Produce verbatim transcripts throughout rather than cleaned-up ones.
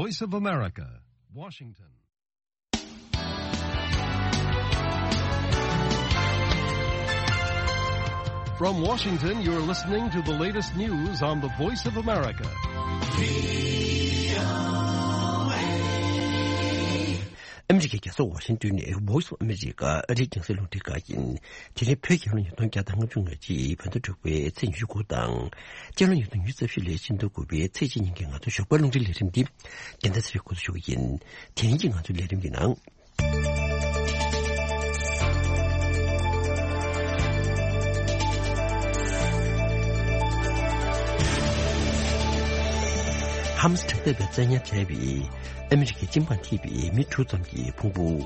Voice of America, Washington. From Washington, you're listening to the latest news on the Voice of America. ཨ་མི་རི་ཀའི་རྒྱལ་ས་ཝ་ཤིང་ཏོན་ནས་Voice of America ཨ་རིའི་རྒྱང་སྲིང་རླུང་འཕྲིན་ཁང་ཡིན། དེ་རིང་བོད་རྒྱལ་ལོ་ཉིས་སྟོང་བརྒྱ་དང་ལྔ་བཅུ་ང་གཅིག་བོད་ཟླ་དྲུག་པའི་ཚེས་ཉི་ཤུ་དགུ་དང་། སྤྱི་ལོ་ཉིས་སྟོང་ཉི་ཤུ་རྩ་བཞི་ལོའི་ཕྱི་ཟླ་དགུ་པའི་ཚེས་གཅིག་ཉིན་གྱི་ང་ཚོའི་ཞོགས་པའི་རླུང་འཕྲིན་ལས་རིམ་འདི་རྒྱལ་མཚན་ཚེ་རིང་འགོ་འཛུགས་ཞུ་གི་ཡིན། དེ་རིང་གི་ང་ཚོའི་ལས་རིམ་གྱི་ནང་། ཧ་མ་སི་དྲག་འཐབ་པས་བཙན་ཉར་བྱས་པའི་ཨ་མི་རི་ཀའི་སྤྱི་འབངས་ཐེ་བའི་མི་དྲུག་ཙམ་གྱི་ཕུང་པོ།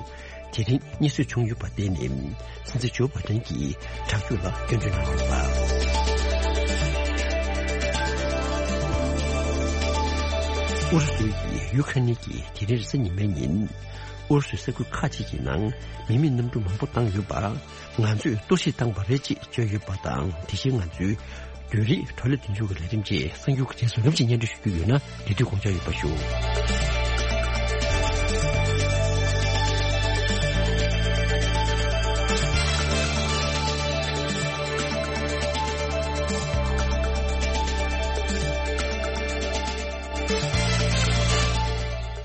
དེ་རིང་རྙེད་སོན་བྱུང་ཡོད་པར་བརྟེན་ནས། སྲིད་འཛིན་ཇོ་བྷ་ཏན་གྱིས་དྲག་སྤྱོད་ལ་སྐྱོན་བརྗོད་གནང་ཡོད་པ། ཨུ་རུ་སུ་ཡིས་ཡུ་ཁ་ནི་གྱིས་དེ་རིང་རེས་གཟའ་ཉི་མའི་ཉིན། ཨུ་རུ་སུའི་ས་ཁུལ་ཁག་ཅིག་གི་ནང་མི་མེད་གནམ་གྲུ་མང་པོ་བཏང་ཡོད་པ། ང་ཚོས་གཏོར་བཤིག་བཏང་བ་རེད་ཅེས་བརྗོད་ཡོད་པ་དང་། དེ་བཞིན་ང་ཚོའི་བརྒྱུད་རིམ་བགྲོ་གླེང་མདུན་ལྕོག་གི་ལས་རིམ་བཅས་གསར་འགྱུར་གྱི་རྗེས་སུ་རིམ་གྱིས་སྙན་སྒྲོན་ཞུ་རྒྱུ་ཡོད་ན། དེ་དུས་དགོངས་འཇགས་ཡོད་པ་ཞུ།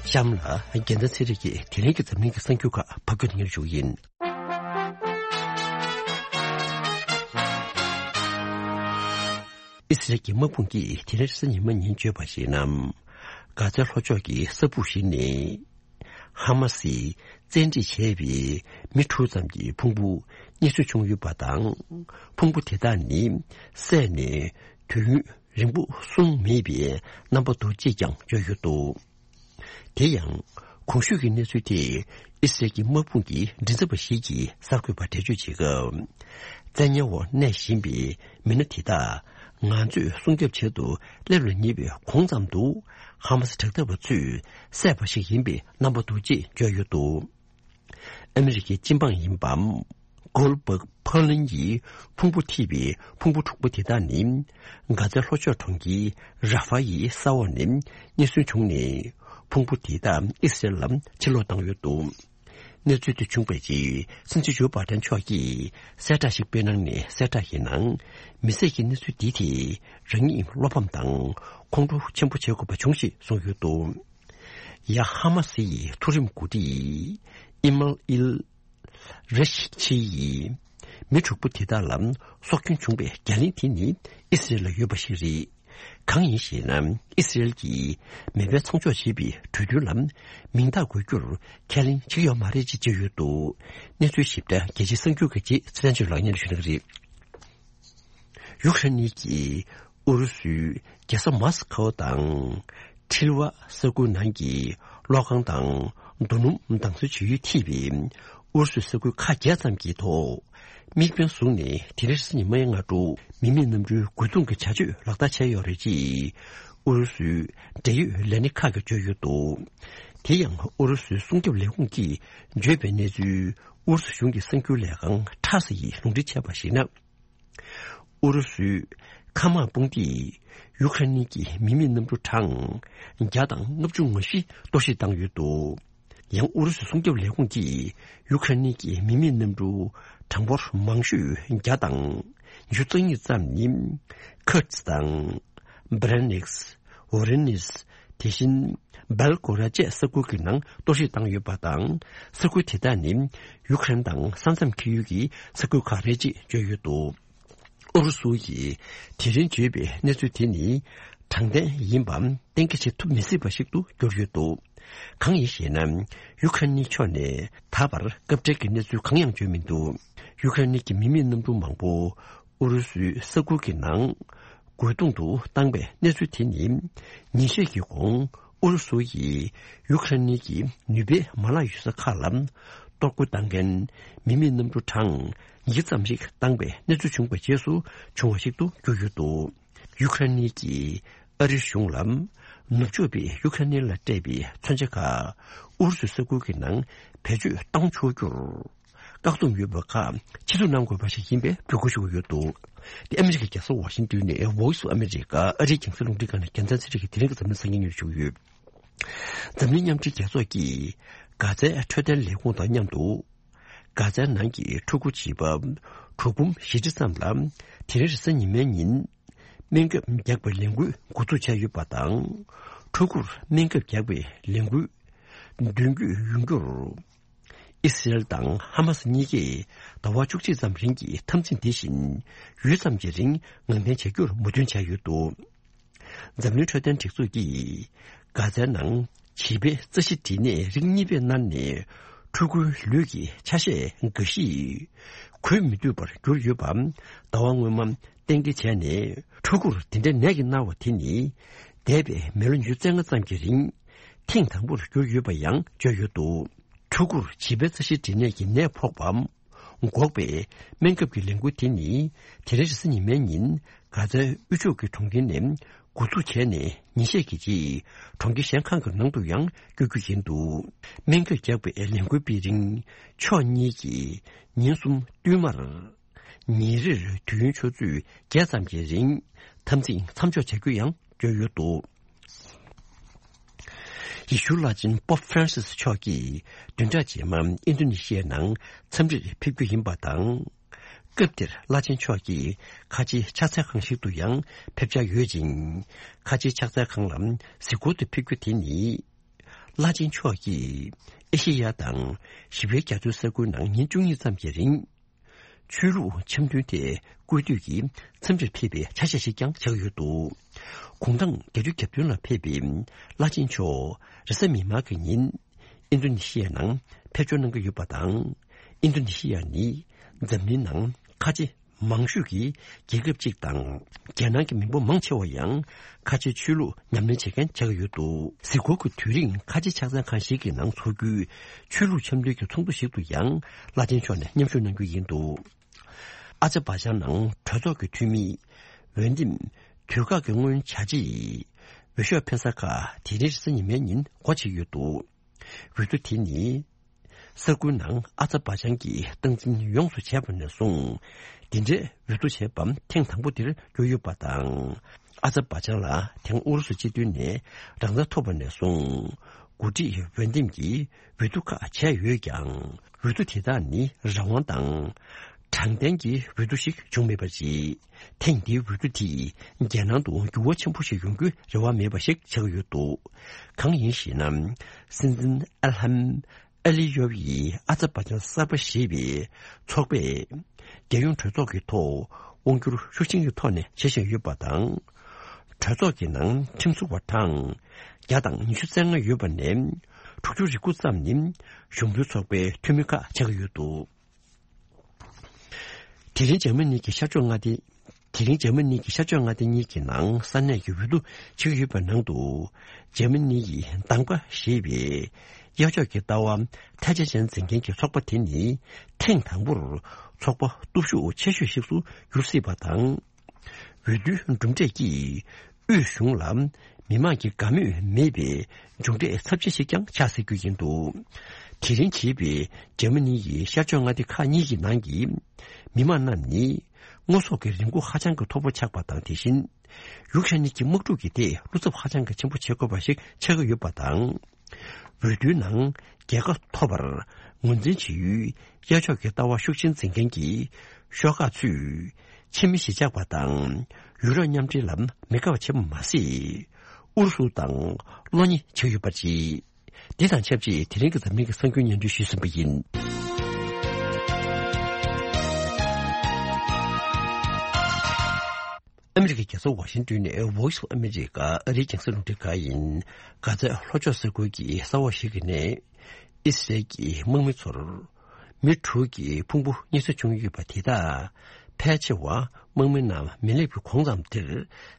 གཤམ་ལ་རྒྱལ་མཚན་ཚེ་རིང་གིས་དེ་རིང་གི་འཛམ་གླིང་གི་གསར་འགྱུར་ཁག་ཕབ་སྒྱུར་སྙན་སྒྲོན་ཞུ་གི་ཡིན། ཨི་སི་རལ་གྱི་དམག་དཔུང་གིས་དེ་རིང་རེས་གཟའ་ཉི་མ་ཉིན་བརྗོད་པར་གཞིགས་ན། གྷ་ཛའི་ལྷོ་ཕྱོགས་ཀྱི་ས་སྦུག་ཞིག་ནས། ཧ་མ་སིས་བཙན་ཁྲིད་བྱས་པའི་མི་དྲུག་ཙམ་གྱི་ཕུང་པོ་རྙེད་སོན་བྱུང་ཡོད་པ་དང་། ཕུང་པོ་དེ་དག་ནི་བསད་ནས་དུས་ཡུན་རིང་པོ་སོང་མེད་པའི་རྣམ་པ་འདུག་ཅེས་ཀྱང་བརྗོད་ཡོད་འདུག་དེ་ཡང་། གོང་ཞུས་ཀྱི་གནས་ཚུལ་དེ་ཨི་སི་རལ་གྱི་དམག་དཔུང་གི་མགྲིན་ཚབ་པ་ཞིག་གིས་གསར་འགོད་པར་འགྲེལ་བརྗོད་བྱེད་སྐབས། བཙན་ཉར་འོག་གནས་བཞིན་པའི་མི་སྣ་དེ་དག་ང་ཚོས་སྲུང་སྐྱོབ་བྱེད་དུ་སླེབས་ལ་ཉེ་བའི་གོང་ཙམ་དུ། ཧ་མ་སི་དྲག་འཐབ་པ་ཚོས་བསད་པ་ཞིག་ཡིན་པའི་རྣམ་པ་འདུག་ཅེས་བརྗོད་ཡོད་འདུག་ཨ་མི་རི་ཀའི་སྤྱི་འབངས་ཡིན་པ། གོལ་བག་ཕར་ལིན་གྱིས་ཕུང་པོ་ཐེབས་པའི་ཕུང་པོ་དྲུག་པོ་དེ་དག་ནི། གྷ་ཛའི་ལྷོ་ཕྱོགས་གྲོང་ཁྱེར་ར་ཧྥ་ཡི་ས་འོག་ནས་རྙེད་སོན་བྱུང་ནས། ཕུང་པོ་དེ་དག་ཨི་སི་རལ་ལ་ཕྱིར་སློག་བཏང་ཡོད་འདུག་གནས་ཚུལ་དེ་བྱུང་བའི་རྗེས། སྲིད་འཛིན་ཇོ་བྷ་ཏན་མཆོག་གིས་གསལ་བསྒྲགས་ཤིག་སྤེལ་གནང་ནས། གསལ་བསྒྲགས་ཡིན་ནའང་། མི་བསད་ཀྱི་གནས་ཚུལ་འདི་དེ་རང་ཉིད་བློ་ཕམ་དང་ཁོང་ཁྲོ་ཆེན་པོ་བྱེད་དགོས་པ་བྱུང་ཞེས་གསུངས་ཡོད་འདུག་ཡ་ཧ་མ་སི་ཡི་མཐོ་རིམ་འགོ་ཁྲིད་ཨི་མལ་ཨིལ་རེ་ཤི་ཆི་ཡིས། མི་དྲུག་པོ་དེ་དག་ལ་སྲོག་སྐྱོན་བྱུང་བའི་རྒྱ་གླིང་དེ་ནི་ཨི་སི་རེལ་ལ་ཡོད་པ་ཞིག་རེད། གང་ཡིན་ཞེ་ན། ཨི་སི་རེལ་གྱིས་མེ་འཕེན་མཚམས་འཇོག་བྱེད་པའི་གྲོས་མཐུན་ལ་མིང་རྟགས་འགོད་རྒྱུར་ཁས་ལེན་བྱེད་ཀྱི་ཡོད་མ་རེད་ཅེས་བརྗོད་ཡོད་འདུག་གནས་ཚུལ་ཞིབ་ཕྲ་རྒྱལ་སྤྱིའི་གསར་འགྱུར་གྱི་རྗེས་ཚེ་བརྟན་ཆོས་ལགས་སྙན་ཞུ་གནང་གི་རེད། ཡུ་ཁ་ནི་གྱིས་ཨུ་རུ་སུའི་རྒྱལ་ས་མོ་སི་ཁོ་དང་། ཁྲིལ་ཝ་ས་ཁུལ་ནང་གི་གློག་ཁང་དང་རྡོ་སྣུམ་བདག་འཛིན་བྱེད་ཡུལ་ཐེ་བའི་ཨུ་རུ་སུའི་ས་ཁུལ་ཁག་བརྒྱད་ཙམ་གྱི་ཐོག་དམིགས་འབེན་བཟུང་ནས། དེ་རིང་རེས་གཟའ་ཉི་མའི་སྔ་དྲོ་མི་མེད་གནམ་གྲུའི་རྒོལ་རྡུང་གི་བྱ་སྤྱོད་ལག་བསྟར་བྱས་ཡོད་རེད་ཅེས་ཨུ་རུ་སུའི་འབྲེལ་ཡོད་ལས་སྣེ་ཁག་གིས་བརྗོད་ཡོད་འདུག་དེ་ཡང་ཨུ་རུ་སུའི་སྲུང་སྐྱོབ་ལས་ཁུངས་ཀྱིས་བརྗོད་པའི་གནས་ཚུལ་ཨུ་རུ་སུ་གཞུང་གི་གསར་འགྱུར་ལས་ཁང་ཊཱ་སི་ཡིས་ལུང་འདྲེན་བྱས་པར་གཞིགས་ན། ཨུ་རུ་སུས་མཁའ་དམག་དཔུང་སྡེས་ཡུ་ཁ་ནི་གྱི་མི་མེད་གནམ་གྲུ་གྲངས་བརྒྱ་དང་ལྔ་བཅུ་ང་བཞི་གཏོར་བཤིག་བཏང་ཡོད་འདུག་ཡང་ཨུ་རུ་སུའི་སྲུང་སྐྱོབ་ལས་ཁུངས་ཀྱིས་ཡུ་ཁ་ནི་གྱི་མི་མེད་གནམ་གྲུ་གྲངས་འབོར་མང་ཤོས་བརྒྱ་དང་ཉི་ཤུ་རྩ་གཉིས་ཙམ་ནི་ཁུར་ཙི་དང་། བྷ་རན་ནིག་སི། ཝོ་རི་ནིས། དེ་བཞིན་སྦེལ་ཀོ་ར་བཅས་ས་ཁུལ་གྱི་ནང་གཏོར་བཤིག་བཏང་ཡོད་པ་དང་། ས་ཁུལ་དེ་དག་ནི་ཡུ་ཁ་རེན་དང་ས་མཚམས་འཁེལ་ཡུལ་གྱི་ས་ཁུལ་ཁག་རེད་ཅེས་བརྗོད་ཡོད་འདུག་ཨུ་རུ་སུ་ཡིས་དེ་རིང་བརྗོད་པའི་གནས་ཚུལ་དེ་ནི་དྲང་བདེན་ཡིན་པ་གཏན་འཁེལ་བྱེད་ཐུབ་མི་སྲིད་པ་ཞིག་ཏུ་གྱུར་ཡོད་འདུག་གང་ཡིན་ཞེ་ན། ཡུ་ཁ་རེན་ཕྱོགས་ནས་ད་བར་སྐབས་འབྲེལ་གྱི་གནས་ཚུལ་གང་ཡང་བརྗོད་མི་འདུག་ཡུ་ཁ་རེན་གྱི་མི་མེད་གནམ་གྲུ་མང་པོ་ཨུ་རུ་སུའི་ས་ཁུལ་གྱི་ནང་རྒོལ་རྡུང་དུ་བཏང་པའི་གནས་ཚུལ་དེ་ནི། ཉིན་ཤས་ཀྱི་གོང་ཨུ་རུ་སུ་ཡིས་ཡུ་ཁ་རེན་གྱི་ནུས་པའི་མ་ལག་ཡོད་ས་ཁག་ལ་གཏོར་རྒོལ་བཏང་མཁན་མི་མེད་གནམ་གྲུ་གྲངས་ཉིས་ཙམ་ཞིག་བཏང་པའི་གནས་ཚུལ་བྱུང་བའི་རྗེས་སུ་བྱུང་བ་ཞིག་ཏུ་གྱུར་ཡོད་འདུག་ཡུ་ཁ་རེན་གྱིས་ཨ་རིའི་གཞུང་ལ་ནུབ་ཕྱོགས་པས་ཡུ་ཁ་རེན་ལ་སྤྲད་པའི་མཚོན་ཆ་ཁག་ཨུ་རུ་སུའི་ས་ཁུལ་གྱི་ནང་བེད་སྤྱོད་གཏོང་ཆོག་རྒྱུར་བཀག་སྡོམ་ཡོད་པ་ཁག་ཕྱིར་བསྡུ་གནང་དགོས་པ་ཞིག་ཡིན་པའི་འབོད་སྐུལ་ཞུ་གི་ཡོད་འདུག་དེ་ཨ་མི་རི་ཀའི་རྒྱལ་ས་ཝ་ཤིང་ཏོན་ནས་Voice of America ཨ་རིའི་རྒྱང་སྲིང་རླུང་འཕྲིན་ཁང་ནས་རྒྱལ་མཚན་ཚེ་རིང་གིས་དེ་རིང་གི་འཛམ་གླིང་གསར་འགྱུར་སྙན་སྒྲོན་ཞུ་གི་ཡོད། འཛམ་གླིང་མཉམ་འབྲེལ་རྒྱལ་ཚོགས་ཀྱིས་གྷ་ཛའི་འཕྲོད་བསྟེན་ལས་ཁུངས་དང་མཉམ་དུ། གྷ་ཛའི་ནང་གི་ཕྲུ་གུ་བྱིས་པ་དྲུག་འབུམ་བཞི་ཁྲི་ཙམ་ལ་དེ་རིང་རེས་གཟའ་ཉི་མའི་ཉིན་སྨན་ཁབ་རྒྱག་པའི་ལས་འགུལ་འགོ་འཛུགས་བྱས་ཡོད་པ་དང་། ཕྲུ་གུར་སྨན་ཁབ་རྒྱག་པའི་ལས་འགུལ་མདུན་སྐྱོད་ཡོང་རྒྱུར། ཨི་སི་རེལ་དང་ཧ་མ་སི་གཉིས་ཀས་ཟླ་བ་བཅུ་གཅིག་ཙམ་རིང་གི་འཐབ་འཛིང་འདི་བཞིན་ཡུད་ཙམ་གྱི་རིང་ངང་འཐེན་བྱ་རྒྱུར་མོས་མཐུན་བྱས་ཡོད་འདུག་འཛམ་གླིང་འཕྲོད་བསྟེན་སྒྲིག་འཛུགས་ཀྱིས་གྷ་ཛའི་ནང་བྱིས་པའི་རྩ་ཤེད་འབྲས་ནད་རིགས་གཉིས་པའི་མནར་ནས་ཕྲུ་གུའི་ལུས་ཀྱི་ཆ་ཤས་འགའ་ཞིག་འགོས་མི་ཐུབ་པར་གྱུར་ཡོད་པ་ཟླ་བ་སྔོན་མ་གཏན་འཁེལ་བྱས་ནས། ཕྲུ་གུར་དེ་འདྲའི་ནད་ཀྱིས་མནར་བ་དེ་ནི་འདས་པའི་མི་ལོ་ཉི་ཤུ་རྩ་ལྔ་ཙམ་གྱི་རིང་ཐེངས་དང་པོར་གྱུར་ཡོད་པ་ཡང་བརྗོད་ཡོད་འདུག་ཕྲུ་གུར་བྱིས་པའི་རྩ་ཤེད་འབྲས་ནད་ཀྱི་ནད་ཕོག་པ་འགོག་པའི་སྨན་ཁབ་ཀྱི་ལས་འགུལ་དེ་ནི་དེ་རིང་རེས་གཟའ་ཉི་མའི་ཉིན་གྷ་ཛའི་དབུས་ཕྱོགས་ཀྱི་གྲོང་ཁྱེར་ནས་འགོ་འཛུགས་བྱས་ནས་ཉིན་ཤས་ཀྱི་རྗེས་གྲོང་ཁྱེར་གཞན་ཁག་གི་ནང་དུ་ཡང་བསྐྱོད་རྒྱུ་ཡིན་འདུག་སྨན་ཁབ་རྒྱག་པའི་ལས་འགུལ་སྤེལ་རིང་ཕྱོགས་གཉིས་ཀྱིས་ཉིན་གསུམ་བསྟུད་མར་ཉིན་རེར་དུས་ཡུན་ཆུ་ཚོད་བརྒྱད་ཙམ་གྱི་རིང་འཐབ་འཛིང་མཚམས་འཇོག་བྱ་རྒྱུ་ཡང་བརྗོད་ཡོད་འདུག་ཡེ་ཤུའི་བླ་ཆེན་པོབ་ཧྥ་རན་སིས་མཆོག་གིས་བདུན་ཕྲག་རྗེས་མ་ཨིན་རྡུ་ནི་ཤི་ཡའི་ནང་འཚམས་འདྲིར་ཕེབས་རྒྱུ་ཡིན་པ་དང་། སྐབས་དེར་བླ་ཆེན་མཆོག་གིས་ཁ་ཆེའི་ཕྱག་འཚལ་ཁང་ཞིག་ཏུ་ཡང་ཕེབས་འཆར་ཡོད་ཅིང་། ཁ་ཆེའི་ཕྱག་འཚལ་ཁང་ལ་གཟིགས་སྐོར་དུ་ཕེབས་རྒྱུ་དེ་ནི། བླ་ཆེན་མཆོག་གིས་ཨེ་ཤེ་ཡ་དང་ཞི་བའི་རྒྱ་མཚོའི་ས་ཁུལ་ནང་ཉིན་བཅུ་གཉིས་ཙམ་གྱི་རིང་། ཆོས་ལུགས་འཆམ་མཐུན་ཐད་སྐུལ་འདེད་ཀྱིས་འཚམས་འདྲིར་ཕེབས་པའི་ཆ་ཤས་ཤིག་ཀྱང་ཆགས་ཡོད་འདུག་གུང་ཐང་བརྒྱད་ཅུ་གྱ་བདུན་ལ་ཕེབས་པའི་བླ་ཆེན་མཆོག་རེས་གཟའ་མིག་དམར་གྱི་ཉིན་ཨིན་རྡུ་ནི་ཤི་ཡའི་ནང་ཕེབས་འབྱོར་གནང་གི་ཡོད་པ་དང་། ཨིན་རྡུ་ནི་ཤི་ཡ་ནི་འཛམ་གླིང་ནང་ཁ་ཆེ་མང་ཤོས་ཀྱི་རྒྱལ་ཁབ་ཅིག་དང་། རྒྱལ་ནང་གི་མི་འབོར་མང་ཆེ་བ་ཡང་ཁ་ཆེའི་ཆོས་ལུགས་ཉམས་ལེན་བྱེད་མཁན་ཆགས་ཀྱི་ཡོད་འདུག་གཟིགས་སྐོར་གྱི་དུས་རིང་ཁ་ཆེ་ཕྱག་འཚལ་ཁང་ཞིག་གི་ནང་འཚོགས་རྒྱུའི་ཆོས་ལུགས་འཆམ་མཐུན་གྱི་ཚོགས་འདུ་ཞིག་ཏུ་ཡང་བླ་ཆེན་མཆོག་ནས་མཉམ་ཞུགས་གནང་རྒྱུ་ཡིན་འདུག་ཨ་ཛར་བྷ་ཇན་ནང་གྲོས་ཚོགས་ཀྱི་འཐུས་མི་འོས་འདེམས་དུས་བཀག་གི་སྔོན་བྱ་ཆེད་འོས་ཤོག་འཕེན་ས་ཁག་དེ་རིང་རེས་གཟའ་ཉི་མའི་ཉིན་སྒོ་ཕྱེ་ཡོད་འདུག་འོས་བསྡུ་དེ་ནི། ས་ཁུལ་ནང་ཨ་ཛར་བྷ་ཇན་གྱིས་སྟངས་འཛིན་ཡོངས་སུ་བྱས་པ་ནས་བཟུང་། འདི་འདྲའི་འོས་བསྡུ་བྱས་པ་ཐེངས་དང་པོ་དེར་གྱུར་ཡོད་པ་དང་། ཨ་ཛར་བྷ་ཇན་ལ་དེང་ཨུ་རུ་སུ་སྤྱི་མཐུན་ནས་རང་བདག་ཐོབ་པ་ནས་བཟུང་། འགོ་ཁྲིད་འོས་འདེམས་ཀྱིས་འོས་བསྡུ་ཁག་བྱས་ཡོད་ཀྱང་། འོས་བསྡུ་དེ་དག་ནི་རང་དབང་དང་། དྲང་བདེན་གྱི་འོས་བསྡུ་ཞིག་བྱུང་མེད་པ་རེད། ཐེངས་འདིའི་འོས་བསྡུ་དེས་རྒྱལ་ནང་དུ་འགྱུར་བ་ཆེན་པོ་ཞིག་ཡོང་རྒྱུའི་རེ་བ་མེད་པ་ཞིག་ཆགས་ཡོད་འདུག་གང་ཡིན་ཞེ་ན། སྲིད་འཛིན་ཨལ་ཧམ་ཨ་ལི་ཡོབ་ཡིས་ཨ་ཛར་བྷ་ཇན་གསར་པ་ཞེས་པའི་ཚོགས་པས་རྒྱལ་ཡོངས་གྲོས་ཚོགས་ཀྱི་ཐོག་དབང་སྒྱུར་ཤུགས་ཆེན་གྱི་ཐོག་ནས་བྱེད་བཞིན་ཡོད་པ་དང་། གྲོས་ཚོགས་ཀྱི་ནང་ཁྲིམས་བཟོ་བ་གྲངས་བརྒྱ་དང་ཉི་ཤུ་རྩ་ལྔ་ཡོད་པ་ནས་དྲུག་ཅུ་རེ་དགུ་ཙམ་ནི་གཞུང་འབྲེལ་ཚོགས་པའི་འཐུས་མི་ཁག་ཆགས་ཀྱི་ཡོད་འདུག་དེ་རིང་འཇར་མ་ནི་གི་ཤར་ཕྱོགས་མངའ་སྡེ། དེ་རིང་འཇར་མ་ནི་གི་ཤར་ཕྱོགས་མངའ་སྡེ་གཉིས་ཀྱི་ནང་ས་གནས་ཀྱི་འོས་བསྡུ་བྱེད་ཀྱི་ཡོད་པའི་ནང་དུ། འཇར་མ་ནི་ཡི་གདམ་ག་ཞེས་པའི་གཡག་ཕྱོགས་ཀྱི་ལྟ་བ་ཐལ་ཆ་ཅན་འཛིན་མཁན་གྱི་ཚོགས་པ་དེ་ནི་ཐེངས་དང་པོར་ཚོགས་པ་སྟོབས་ཤུགས་ཆེ་ཤོས་ཤིག་ཏུ་འགྱུར་སྲིད་པ་དང་། འོས་བསྡུའི་གྲུབ་འབྲས་ཀྱིས་དབུས་གཞུང་ལ་མི་མང་གི་དགའ་མོས་མེད་པའི་མཇུག་འབྲས་ཚབས་ཆེན་ཞིག་ཀྱང་ཆགས་སྲིད་རྒྱུ་ཡིན་འདུག་དེ་རིང་བྱེད་པའི་འཇར་མ་ནི་ཡི་ཤར་ཕྱོགས་མངའ་སྡེ་ཁག་གཉིས་ཀྱི་ནང་གི་མི་མང་རྣམས་ནི་དངོས་ཟོག་གི་རིན་གོང་ཧ་ཅང་གི་མཐོ་པོ་ཆགས་པ་དང་། དེ་བཞིན་ཡུཀ་ཧྲེན་གྱི་དམག་འཁྲུག་གི་ཐད་བློ་འཚབ་ཧ་ཅང་གི་ཆེན་པོ་བྱེད་དགོས་པ་ཞིག་ཆགས་ཀྱི་ཡོད་པ་དང་། འོས་བསྡུའི་ནང་རྒྱལ་ཁ་ཐོབ་པར་ངོས་འཛིན་བྱེད་ཡུལ་གཡག་ཕྱོགས་ཀྱི་ལྟ་བ་ཤུགས་ཆེན་འཛིན་མཁན་གྱི་ཤོག་ཁག་ཚོས་ཕྱི་མི་གཞིས་ཆགས་པ་དང་ཡུ་རོབ་མཉམ་འབྲེལ་ལ་མི་དགའ་བ་བྱེད་པ་མ་ཟད། ཨུ་རུ་སུ་དང་བློ་ཉེས་བྱེད་ཀྱི་ཡོད་པ་རེད། འདི་དང་ཆབས་ཅིག་དེ་རིང་གི་འཛམ་གླིང་གི་གསར་འགྱུར་སྙན་སྒྲོན་ཞུས་ཟིན་པ་ཡིན། ཨ་མི་རི་ཀའི་རྒྱལ་ས་ཝ་ཤིང་ཏོན་ནས་Voice of America ཨ་རིའི་རྒྱང་སྲིང་རླུང་འཕྲིན་ཁང་ཡིན། གྷ་ཛའི་ལྷོ་ཕྱོགས་ས་ཁུལ་གྱི་ས་འོག་ཞིག་གི་ནས་ཨི་སི་རལ་གྱི་དམག་མི་ཚོར་མི་དྲུག་གི་ཕུང་པོ་རྙེད་སོན་བྱུང་ཡོད་པ་དེ་དག་ཕལ་ཆེ་བ་དམག་མི་རྣམས་མེ་ལེབ་ཀྱི་གོང་ཙམ་དེར་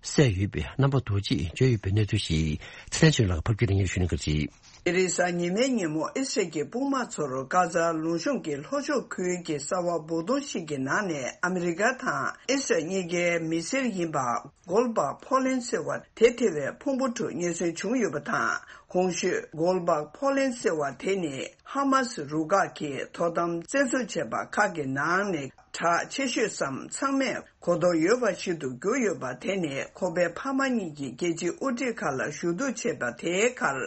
བསད་ཡོད་པའི་རྣམ་པ་རྡོ་རྗེས་བརྗོད་ཡོད་པའི་གནས་ཚུལ་ཞིག་ཚེ་བརྟན་ཆོས་ལགས་ཕབ་སྒྱུར་གནང་གིན་ཞུ་གནང་གི་རེད། དེ་རིང་གཟའ་ཉི་མའི་ཉིན་མོ་ཨི་སི་རལ་གྱི་དཔུང་དམག་ཚོར་གྷ་ཛ་ལུང་གཤོང་གི་ལྷོ་ཕྱོགས་ཁུལ་གྱི་ས་འོག་སྦུག་དོང་ཞིག་གི་ནང་ནས་ཨ་མི་རི་ཀ་དང་ཨི་སི་རལ་གཉིས་ཀའི་མི་སེར་ཡིན་པ་གོལ་བག་ཕོ་ལན་ཟེར་བ་དེ་ཐེ་བའི་ཕུང་པོ་དྲུག་རྙེད་སོན་བྱུང་ཡོད་པ་དང་། གོང་ཞུས་གོལ་བག་ཕོ་ལན་ཟེར་བ་དེ་ནི་ཧ་མ་སི་རུ་ཁག་གིས་དོ་དམ་བཙན་བཟུང་བྱས་པ་ཁག་གི་ནང་ནས་གྲགས་ཆེ་ཤོས་སམ་ཚང་མས་ གོ་རྟོགས་ཡོད་པ་ཞིག་ཏུ་གྱུར་ཡོད་པ་དེ་ནི་ཁོ་པའི་ཕ་མ་གཉིས་ཀྱིས་རྒྱལ་སྤྱིའི་དབུ་ཁྲིད་ཁག་ལ་ཞུ་གཏུག་བྱས་པ་དེའི་ཁར་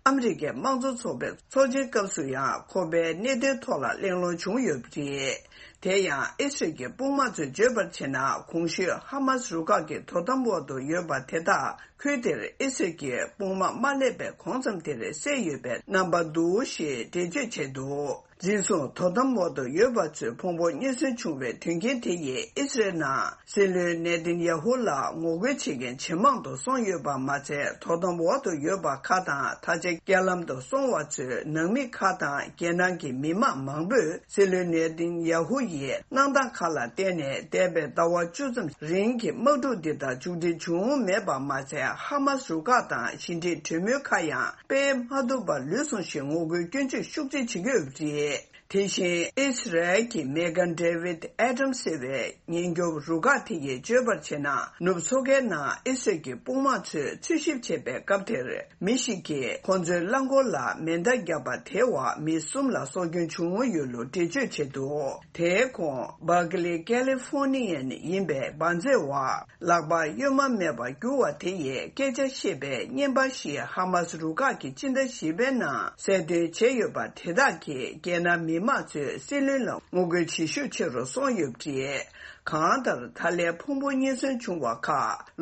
ཨ་མི་རི་ཀའི་དམངས་གཙོ་ཚོགས་པའི་ཚོགས་ཆེན་སྐབས་སུ་ཡང་ཁོ་པའི་གནད་དོན་ཐོག་ལ་གླེང་སློང་བྱུང་ཡོད་པ་རེད། དེ་ཡང་ཨི་སི་རལ་གྱི་དཔུང་དམག་ཚོས་བརྗོད་པར་བྱས་ན། གོང་ཞུས་ཧ་མཱ་སི་རུ་ཁག་གི་དོ་དམ་འོག་ཏུ་ཡོད་པ་དེ་དག་ཁུལ་དེར་ཨི་སི་རལ་གྱི་དཔུང་དམག་མ་སླེབས་པའི་གོང་ཙམ་དེར་བསད་ཡོད་པའི་རྣམ་པ་འདུག་ཞེས་འགྲེལ་བརྗོད་བྱས་འདུག་འཛིན་བཟུང་དོ་དམ་འོག་ཏུ་ཡོད་པ་ཚོས་ཕུང་པོ་རྙེད་སོན་བྱུང་བའི་དོན་རྐྱེན་དེ་ཡིས་ཨི་སི་རལ་ནང་སྲིད་བློན་ནེ་ཐན་ཡ་ཧུ་ལ་ངོ་རྒོལ་བྱེད་མཁན་ཇེ་མང་དུ་སོང་ཡོད་པ་མ་ཚད། དོ་དམ་འོག་ཏུ་ཡོད་པ་ཁག་དང་ད་ཆ་རྐྱེན་ལམ་དུ་སོང་བ་ཚོའི་ནང་མི་ཁག་དང་རྒྱལ་ནང་གི་མི་མང་མང་པོས་སྲིད་བློན་ནེ་ཐན་ཡ་ཧུ་ཡི་གནང་སྟངས་ཁག་ལ་བརྟེན་ནས་འདས་པའི་ཟླ་བ་བཅུ་ཙམ་རིང་གི་དམག་འཁྲུག་འདི་དག་མཇུག་སྒྲིལ་བྱུང་མེད་པ་མ་ཚད། ཧ་མཱ་སི་རུ་ཁག་དང་ཞི་འགྲིག་གྲོས་མོལ་ཁག་ཡང་སྤེལ་མ་ཐུབ་པར་ལུས་སོང་ཞེས་ངོ་རྒོལ་སྐྱོན་བརྗོད་ཤུགས་ཆེ་བྱེད་ཀྱི་ཡོད་པ་རེད། དེ་བཞིན་ཨི་སི་རལ་གྱི་མེ་གྷན་ཌེ་ཝིད་ཨེ་ཏམ་ཟེར་བའི་ཉེན་སྐྱོབ་རུ་ཁག་དེ་ཡིས་བརྗོད་པར་བྱས་ན། ནུབ་མཚོ་ཁའི་ནང་ཨི་སི་རལ་གྱི་དཔུང་དམག་ཚོས་འཚོལ་ཞིབ་བྱེད་པའི་སྐབས་དེར། མི་ཞིག་གིས་ཁོང་ཚོའི་རླངས་འཁོར་ལ་མེ་མདའ་བརྒྱབ་པ་དེའི་འོག་མི་གསུམ་ལ་སྲོག་སྐྱོན་བྱུང་ཡོད་ལུགས་འགྲེལ་བརྗོད་བྱས་འདུག་དེའི་ཁོངས་Berkeley Californian ཡིན་པའི་འབར་རྫས་འོག་ལག་པ་གཡོན་མ་མེད་པར་གྱུར་བ་དེ་ཡིས་སྐད་ཆ་བཤད་པའི་བརྙན་པར་ཞིག་ཧ་མཱ་སི་རུ་ཁག་གིས་སྤྱི་ཟླ་བཞི་པའི་ནང་གསལ་སྟོན་བྱས་ཡོད་པ་དེ་དག་གིས་རྒྱལ་ནང་མི་མང་ཚོའི་སྲིད་བློན་ལ་ངོ་རྒོལ་བྱེད་ཤུགས་ཆེ་རུ་སོང་ཡོད་པ་རེད། གང་ལྟར་ད་ལན་ཕུང་པོ་རྙེད་སོན་བྱུང་བ་ཁག་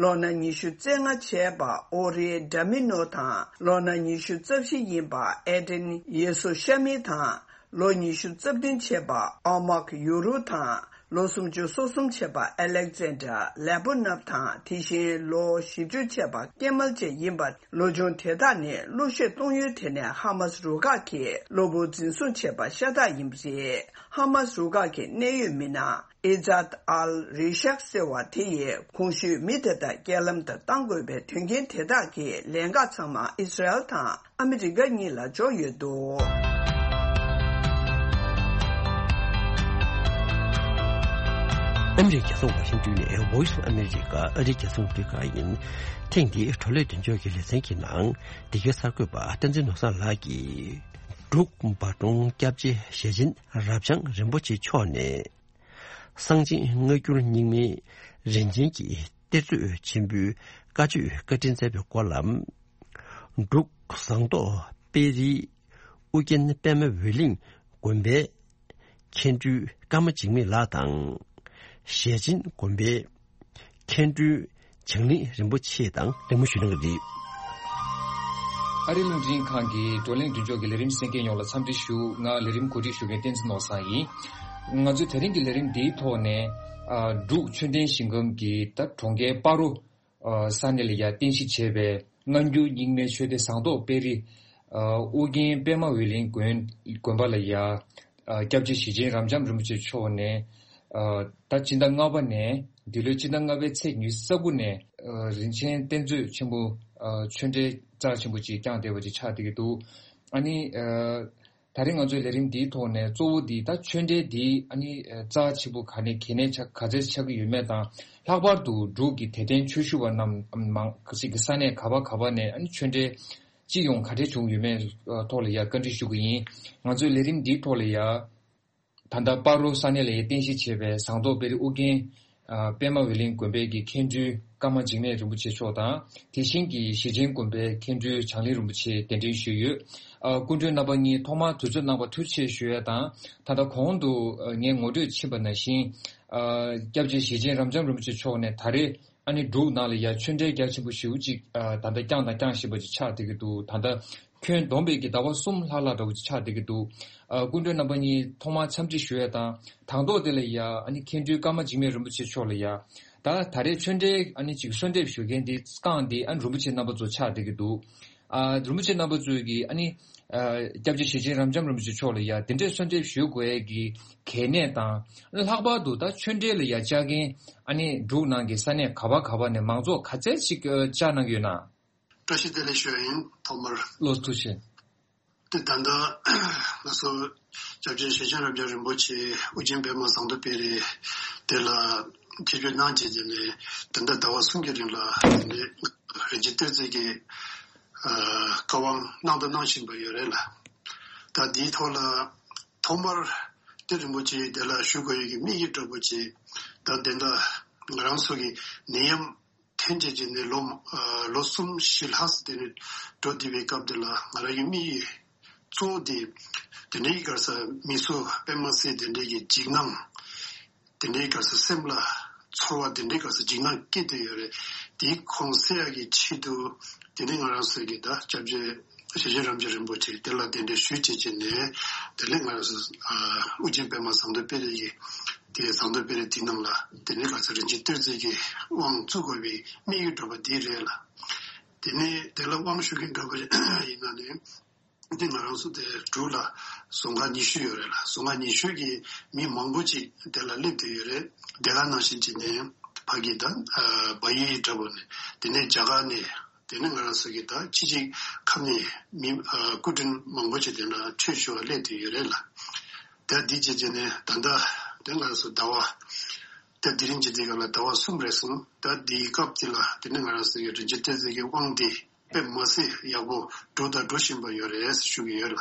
ལོ་ན་ཉི་ཤུ་རྩ་ལྔ་བྱས་པ་ཨོ་རི་ཌ་མི་ནོ་དང་། ལོ་ན་ཉི་ཤུ་རྩ་བཞི་ཡིན་པ་ཨེ་ཏན་ཡེ་སུ་ཤ་མི་དང་། ལོ་ཉི་ཤུ་རྩ་བདུན་བྱས་པ་ཨ་མག་ཡུ་རུ་དང་། ལོ་སུམ་ཅུ་སོ་གསུམ་བྱས་པ་ཨ་ལེག་ཛན་ཌར་ལེ་པོ་ནབ་དང་། དེ་བཞིན་ལོ་བཞི་བཅུ་བྱས་པ་ཀེ་མལ་ཅེ་ཡིན་པ། ལོ་ཆུང་དེ་དག་ནི་གླུ་གཞས་གཏོང་ཡུལ་དེ་ནས་ཧ་མཱ་སི་རུ་ཁག་གིས་གློ་བུར་འཛིན་བཟུང་བྱས་པ་ཤ་སྟག་ཡིན་པ་རེད། ཧ་མཱ་སི་རུ་ཁག་གི་གནད་ཡོད་མི་སྣ་ཨི་ཛཱད་ཨལ་རི་ཤག་ཟེར་བ་དེ་ཡིས་གོང་ཞུས་མི་དེ་དག་རྐྱེན་ལམ་དུ་གཏང་དགོས་པའི་དོན་རྐྱེན་དེ་དག་གི་ལན་འགག་ཚང་མ་ཨི་སི་རལ་དང་ཨ་མི་རི་ཀ་གཉིས་ལ་འབྱོར་ཡོད་འདུག་ཨ་མི་རི་ཀའི་རྒྱལ་ས་ཝ་ཤིང་ཏོན་ནས་Voice of America ཨ་རིའི་རྒྱལ་ས་ཨ་མི་རི་ཀ་ཡིན། ཐེངས་འདིའི་བགྲོ་གླེང་མདུན་ལྕོག་གི་ལེ་ཚན་གྱི་ནང་། འདི་གའི་གསར་འགོད་པ་བསྟན་འཛིན་ནོར་བཟང་ལགས་ཀྱིས། འབྲུག་འབའ་སྒྲོན་སྐྱབས་རྗེ་ཞེ་ཆེན་རབ་འབྱམས་རིན་པོ་ཆེ་མཆོག་ནས། གསང་ཆེན་སྔ་འགྱུར་རྙིང་མའི་རིན་ཆེན་གྱི་གཏེར་མཛོད་ཆེན་པོའི་བཀའ་ཆོས་བཀའ་དྲིན་སྩལ་བའི་སྐོར་ལ། འབྲུག་ཟངས་མདོག་དཔལ་རིའི་ཨུ་རྒྱན་པད་མ་འོད་གླིང་དགོན་པའི་མཁན་སྤྲུལ་ཀརྨ་འཇིགས་མེད་ལགས་དང་། ཞེ་ཆེན་དགོན་པའི་མཁན་སྤྲུལ་བྱང་གླིང་རིན་པོ་ཆེ་དང་གླེང་མོལ་ཞུས་གནང་གི་རེད། ཨ་རིའི་རླུང་འཕྲིན་ཁང་གི་བགྲོ་གླེང་མདུན་ལྕོག་གི་ལས་རིམ་གསན་མཁན་ཡོངས་ལ་འཚམས་འདྲི་ཞུ། ང་ལས་རིམ་གོ་སྒྲིག་ཞུ་མཁན་བསྟན་འཛིན་ནོར་བཟང་ཡིན། ང་ཚོའི་དེ་རིང་གི་ལས་རིམ་འདིའི་ཐོག་ནས། ཨ། འབྲུག་ཆོས་ལྡན་ཞིང་ཁམས་ཀྱི་ད་གྲོང་ཁྱེར་སྤ་རོ། ཨ། ས་གནས་ལ་ཡ་རྟེན་གཞི་བྱས་པའི་སྔ་འགྱུར་རྙིང་མའི་ཆོས་སྡེ་ཟངས་མདོག་དཔལ་རི། ཨ། ཨོ་རྒྱན་པད་མ་འོད་གླིང་དགོན། དགོན་པ་ལ་ཡ། ཨ། སྐྱབས་རྗེ་ཞེ་ཆེན་རབ་འབྱམས་རིན་པོ་ཆེ་མཆོག་ནས། ཨ། ད་སྤྱི་ཟླ་ལྔ་པ་ནས་འདི་ལོའི་སྤྱི་ཟླ་ལྔ་པའི་ཚེས་ཉི་ཤུ་རྩ་དགུ་ནས། ཨ། རིན་ཆེན་གཏེར་མཛོད་ཆེན་པོ། ཨ། ཆོས་འབྲེལ་རྩ་ཆེན་པོ་ཅིག་བསྐྱངས་བསྡད་པ་ཅིག་ཆགས་བསྡད་ཀྱི་འདུག་ཨ་ནི། ཨ། ད་རེས་ང་ཚོའི་ལས་རིམ་འདིའི་ཐོག་ནས་གཙོ་བོ་འདི་ད་ཆོས་འབྲེལ་འདི་ཨ་ནི་རྩ་ཆེ་པོ་ག་ནས་གལ་གནད་ཆ་ག་ཚད་ཆགས་ཀྱི་ཡོད་མེད་དང་། ལྷག་པར་དུ་འབྲུག་གི་དད་ལྡན་ཆོས་ཞུ་བ་རྣམས་མང་ཞིག་གི་ས་གནས་ག་བ་ག་བ་ནས་ཨ་ནི་ཆོས་འབྲེལ་སྤྱི་ཡོངས་ག་འདྲས་བྱུང་ཡོད་མེད་ཐོག་ལ་ཡ་བཀའ་འདྲི་ཞུ་གི་ཡིན། ང་ཚོའི་ལས་རིམ་འདིའི་ཐོག་ལ་ཡ། ད་ལྟ་སྤ་རོ་ས་གནས་ལ་ཡ་རྟེན་གཞི་བྱས་པའི་ཟངས་མདོག་དཔལ་རི་ཨོ་རྒྱན། ཨ། པད་མ་འོད་གླིང་དགོན་པའི་གི་མཁན་སྤྲུལ་ཀརྨ་འཇིགས་མེད་རིན་པོ་ཆེ་མཆོག་དང་། དེ་བཞིན་གྱི་ཞེ་ཆེན་དགོན་པའི་མཁན་སྤྲུལ་བྱང་གླིང་རིན་པོ་ཆེ་གདན་འདྲེན་ཞུས་ཡོད། ཨ། སྐུ་མགྲོན་རྣམ་པ་གཉིས་ཐོག་མར་དུས་ཚོད་གནང་བར་ཐུགས་རྗེ་ཆེ་ཞུ་ཡ་དང་། ད་ལྟ་གོང་དུ་ངས་ངོ་སྤྲོད་ཕྱིན་པ་ནང་བཞིན། ཨ། སྐྱབས་རྗེ་ཞེ་ཆེན་རབ་འབྱམས་རིན་པོ་ཆེ་མཆོག་ནས་ད་རེས། ཨ་ནི་འབྲུག་ནང་ལ་ཡ་ཆོས་འབྲེལ་རྒྱ་ཆེན་པོ་ཞེ་པོ་ཅིག་ཨ། ད་ལྟ་བསྐྱངས་དང་བསྐྱང་བཞིན་པ་ཅིག་ཆགས་བསྡད་ཀྱི་འདུག་ད་ལྟ་ཁྱོན་བསྡོམས་པའི་གི་ཟླ་བ་གསུམ་ལྷག་ལྷག་འདྲ་བོ་ཅིག་ཆགས་བསྡད་ཀྱི་འདུག་ཨ། སྐུ་མགྲོན་རྣམ་པ་གཉིས་ཐོག་མར་འཚམས་འདྲི་ཞུ་ཡ་དང་། དང་ཐོག་དེ་ལ་ཡ་ཨ་ནི་མཁན་སྤྲུལ་ཀརྨ་འཇིགས་མེད་རིན་པོ་ཆེ་མཆོག་ལ་ཡ། ད་ད་རེས་ཆོས་འབྲེལ་ཨ་ནི་ཅིག་གསོལ་འདེབས་ཞུ་མཁན་འདི་བསྐངས་འདི་ཨ་ནི་རིན་པོ་ཆེ་རྣམ་པ་ཚོ་ཆགས་བསྡད་ཀྱི་འདུག་ཨ། རིན་པོ་ཆེ་རྣམ་པ་ཚོས་ཀྱིས་ཨ་ནི། ཨ། སྐྱབས་རྗེ་ཞེ་ཆེན་རབ་འབྱམས་རིན་པོ་ཆེ་མཆོག་ལ་ཡ་དེ་འདྲའི་གསོལ་འདེབས་ཞུ་དགོས་ཡས་ཀྱི་གལ་གནད་དང་། ལྷག་པར་དུ་ད་ཆོས་འབྲེལ་ལ་ཡ་བཅར་མཁན་ཨ་ནི་འབྲུག་ནང་གི་ས་གནས་ག་བ་ག་བ་ནས་མང་ཚོགས་ག་ཚད་ཅིག་བཅར་གནང་གི་ཡོད་ན། བཀྲ་ཤིས་བདེ་ལེགས་ཞུ་ཡ་ཡིན། ཐོག་མར། ལོ་ཐུགས་རྗེ་ཆེ། དེ་ད་ལྟ་ང་ཚོ་སྐྱབས་རྗེ་ཞེ་ཆེན་རབ་འབྱམས་རིན་པོ་ཆེ་ཨོ་རྒྱན་པད་མ་ཟངས་མདོག་དཔལ་རི་དེ་ལ་ཆིབས་བསྒྱུར་གནང་རྗེས་དེ་ནས་ད་ལྟ་ཟླ་བ་གསུམ་གྱི་རིང་ལ་དེ་ནས་རིན་ཆེན་གཏེར་མཛོད་ཀྱི་ཨ། བཀའ་དབང་གནང་དང་གནང་བཞིན་པ་ཡོད་རེད་ལ། ད་འདིའི་ཐོག་ལ་ཐོག་མར་དེ་རིན་པོ་ཆེ་དེ་ལ་ཞུ་དགོས་ཡོད་ཀྱི་དམིགས་ཡུལ་འདྲ་པོ་ཅིག་ད་དེ་འདྲ་ ང་རང་ཚོ་གི་ནད་ཡམས་ཐོན་བྱས་ཀྱི་ནས་ལོ་ཨ་ལོ་གསུམ་བཞི་ལྷག་ཙམ་དེ་ནས་འགྲོ་བསྡད་པའི་སྐབས་དེ་ལ་ང་རང་གི་དམིགས་ཡུལ་གཙོ་བོ་དེ་དེ་འདྲའི་ག་རེ་ཟེར་མི་ཚོ་དཔེ་མ་སྲིད་དེ་འདྲའི་གི་འཇིགས་སྣང་དེ་འདྲའི་ག་རེ་ཟེར་སེམས་ལ་ཚོར་བ་དེ་འདྲའི་ག་རེ་ཟེར་འཇིགས་སྣང་སྐྱེ་བསྡད་ཡོད་རེད། དེའི་ཁུངས་སེལ་ཡག་གི་ཆེད་དུ་དེ་ནས་ང་རང་ཚོ་གི་ད་སྐྱབས་རྗེ་ཞེ་ཆེན་རབ་འབྱམས་རིན་པོ་ཆེ་དེ་ལ་གདན་འདྲེན་ཞུས་བྱས་ཀྱི་ནས་དེ་ནས་ང་རང་ཚོ་ཨ་ཨོ་རྒྱན་པད་མ་ཟངས་མདོག་དཔལ་རི་ཡི་དེ་ཟངས་མདོག་དཔལ་རི་དེ་ནང་ལ་དེ་ནས་ག་རེ་ཟེར་རིན་ཆེན་གཏེར་མཛོད་ཀྱི་དབང་བཙུགས་དགོས་པའི་དམིགས་ཡུལ་འདྲ་པོ་དེ་རེད་ལ། དེ་ནས་དེ་ལ་དབང་ཞུ་མཁན་འདྲ་པོ་ཡིན་ན་ནི། འདི་ང་རང་ཚོ་དེ་འབྲུག་ལ་རྫོང་ཁག་ཉི་ཤུ་ཡོད་རེད་ལ། རྫོང་ཁག་ཉི་ཤུ་གི་མི་མང་པོ་ཅིག་དེ་ལ་སླེབས་བསྡད་ཡོད་རེད། དེ་ག་ནང་བཞིན་ཅིག་ནས་ཕ་གི་དང་བལ་ཡུལ་འདྲ་པོ་ནས་དེ་ནས་རྒྱ་གར་ནས་དེ་ནས་ང་རང་ཚོ་གི་ད་ཕྱི་གཅིག་ཁམས་ནས་མི་སྐུ་མགྲོན་མང་པོ་ཅིག་དེ་འདྲ་ཆོས་ཞུ་བ་སླེབས་བསྡད་ཡོད་རེད་ལ། དེ་འདི་བྱས་བྱས་ནས་ད་ལྟ་དེ་ང་རང་ཚོ་ཟླ་བ་དེ་དེ་རིང་གི་དེ་ག་ལ་ཟླ་བ་གསུམ་རེད་སོང་། ད་འདིའི་སྐབས་དེ་ལ་དེ་ནས་ང་རང་ཚོ་གི་རིན་ཆེན་གཏེར་མཛོད་ཀྱི་དབང་དེ། དཔེ་མ་སྲིད་ཡག་པོ་འགྲོ་དང་འགྲོ་བཞིན་པ་ཡོད་རེད་ཞུ་གི་ཡོད་ལ།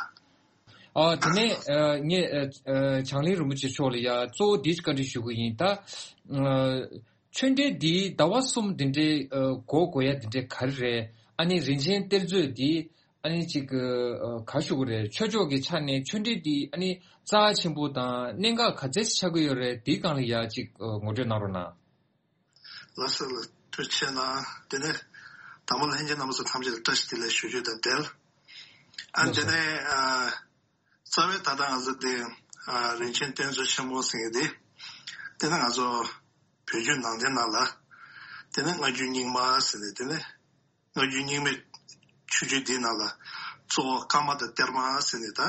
ཨ་དེ་ནས་ཨ་ངས་ཨ་ཨ་བྱང་གླིང་རིན་པོ་ཆེ་མཆོག་ལ་ཡ་གཙོ་བོ་འདི་བཀའ་འདྲི་ཞུ་གི་ཡིན་ད། ཨ་ཆོས་འབྲེལ་འདི་ཟླ་བ་གསུམ་འདི་འདྲའི་ཨ་འགོར་དགོས་ཡ་འདི་འདྲའི་ག་རེ་རེད། ཨ་ནི་རིན་ཆེན་གཏེར་མཛོད་འདི་ཨ་ནི་ཅིག་ཨ་ག་ཞུ་གི་རེད། ཆོས་ཕྱོགས་ཀྱི་ཆ་ནས་ཆོས་འབྲེལ་འདི་ཨ་ནི་རྩ་ཆེན་པོ་དང་གནད་འགག་ག་ཚད་ཆགས་ཀྱི་ཡོད་རེད། འདིའི་སྒང་ལ་ཡ་ཅིག་ཨ་ངོ་སྤྲོད་གནང་རོགས་གནང་། ལགས་སོ་ལགས། ཐུགས་རྗེ་གནང་། དེ་ནས་དང་པོ་ལྷན་རྒྱས་རྣམ་པ་ཚོ་ཐམས་ཅད་ལ་བཀྲ་ཤིས་བདེ་ལེགས་ཞུ་རྒྱུ་དང་འབྲེལ། ཨ་ལགས་དེ་སོ། ནས་ཨ་རྩ་བའི་ད་ལྟ་ང་ཚོ་དེ་ཨ་རིན་ཆེན་གཏེར་མཛོད་ཆེན་མོ་ཟེར་མཁན་དེ་དེ་ནས་ང་ཚོ་བོད་བརྒྱུད་ནང་བསྟན་ནང་ལ་དེ་ནས་སྔ་འགྱུར་རྙིང་མ་ཟེར་ནས་དེ་ནས་སྔ་འགྱུར་རྙིང་མའི་ཆོས་བརྒྱུད་འདིའི་ནང་ལ་གཙོ་བོ་བཀའ་མ་དང་གཏེར་མ་ཟེར་ནས་ད་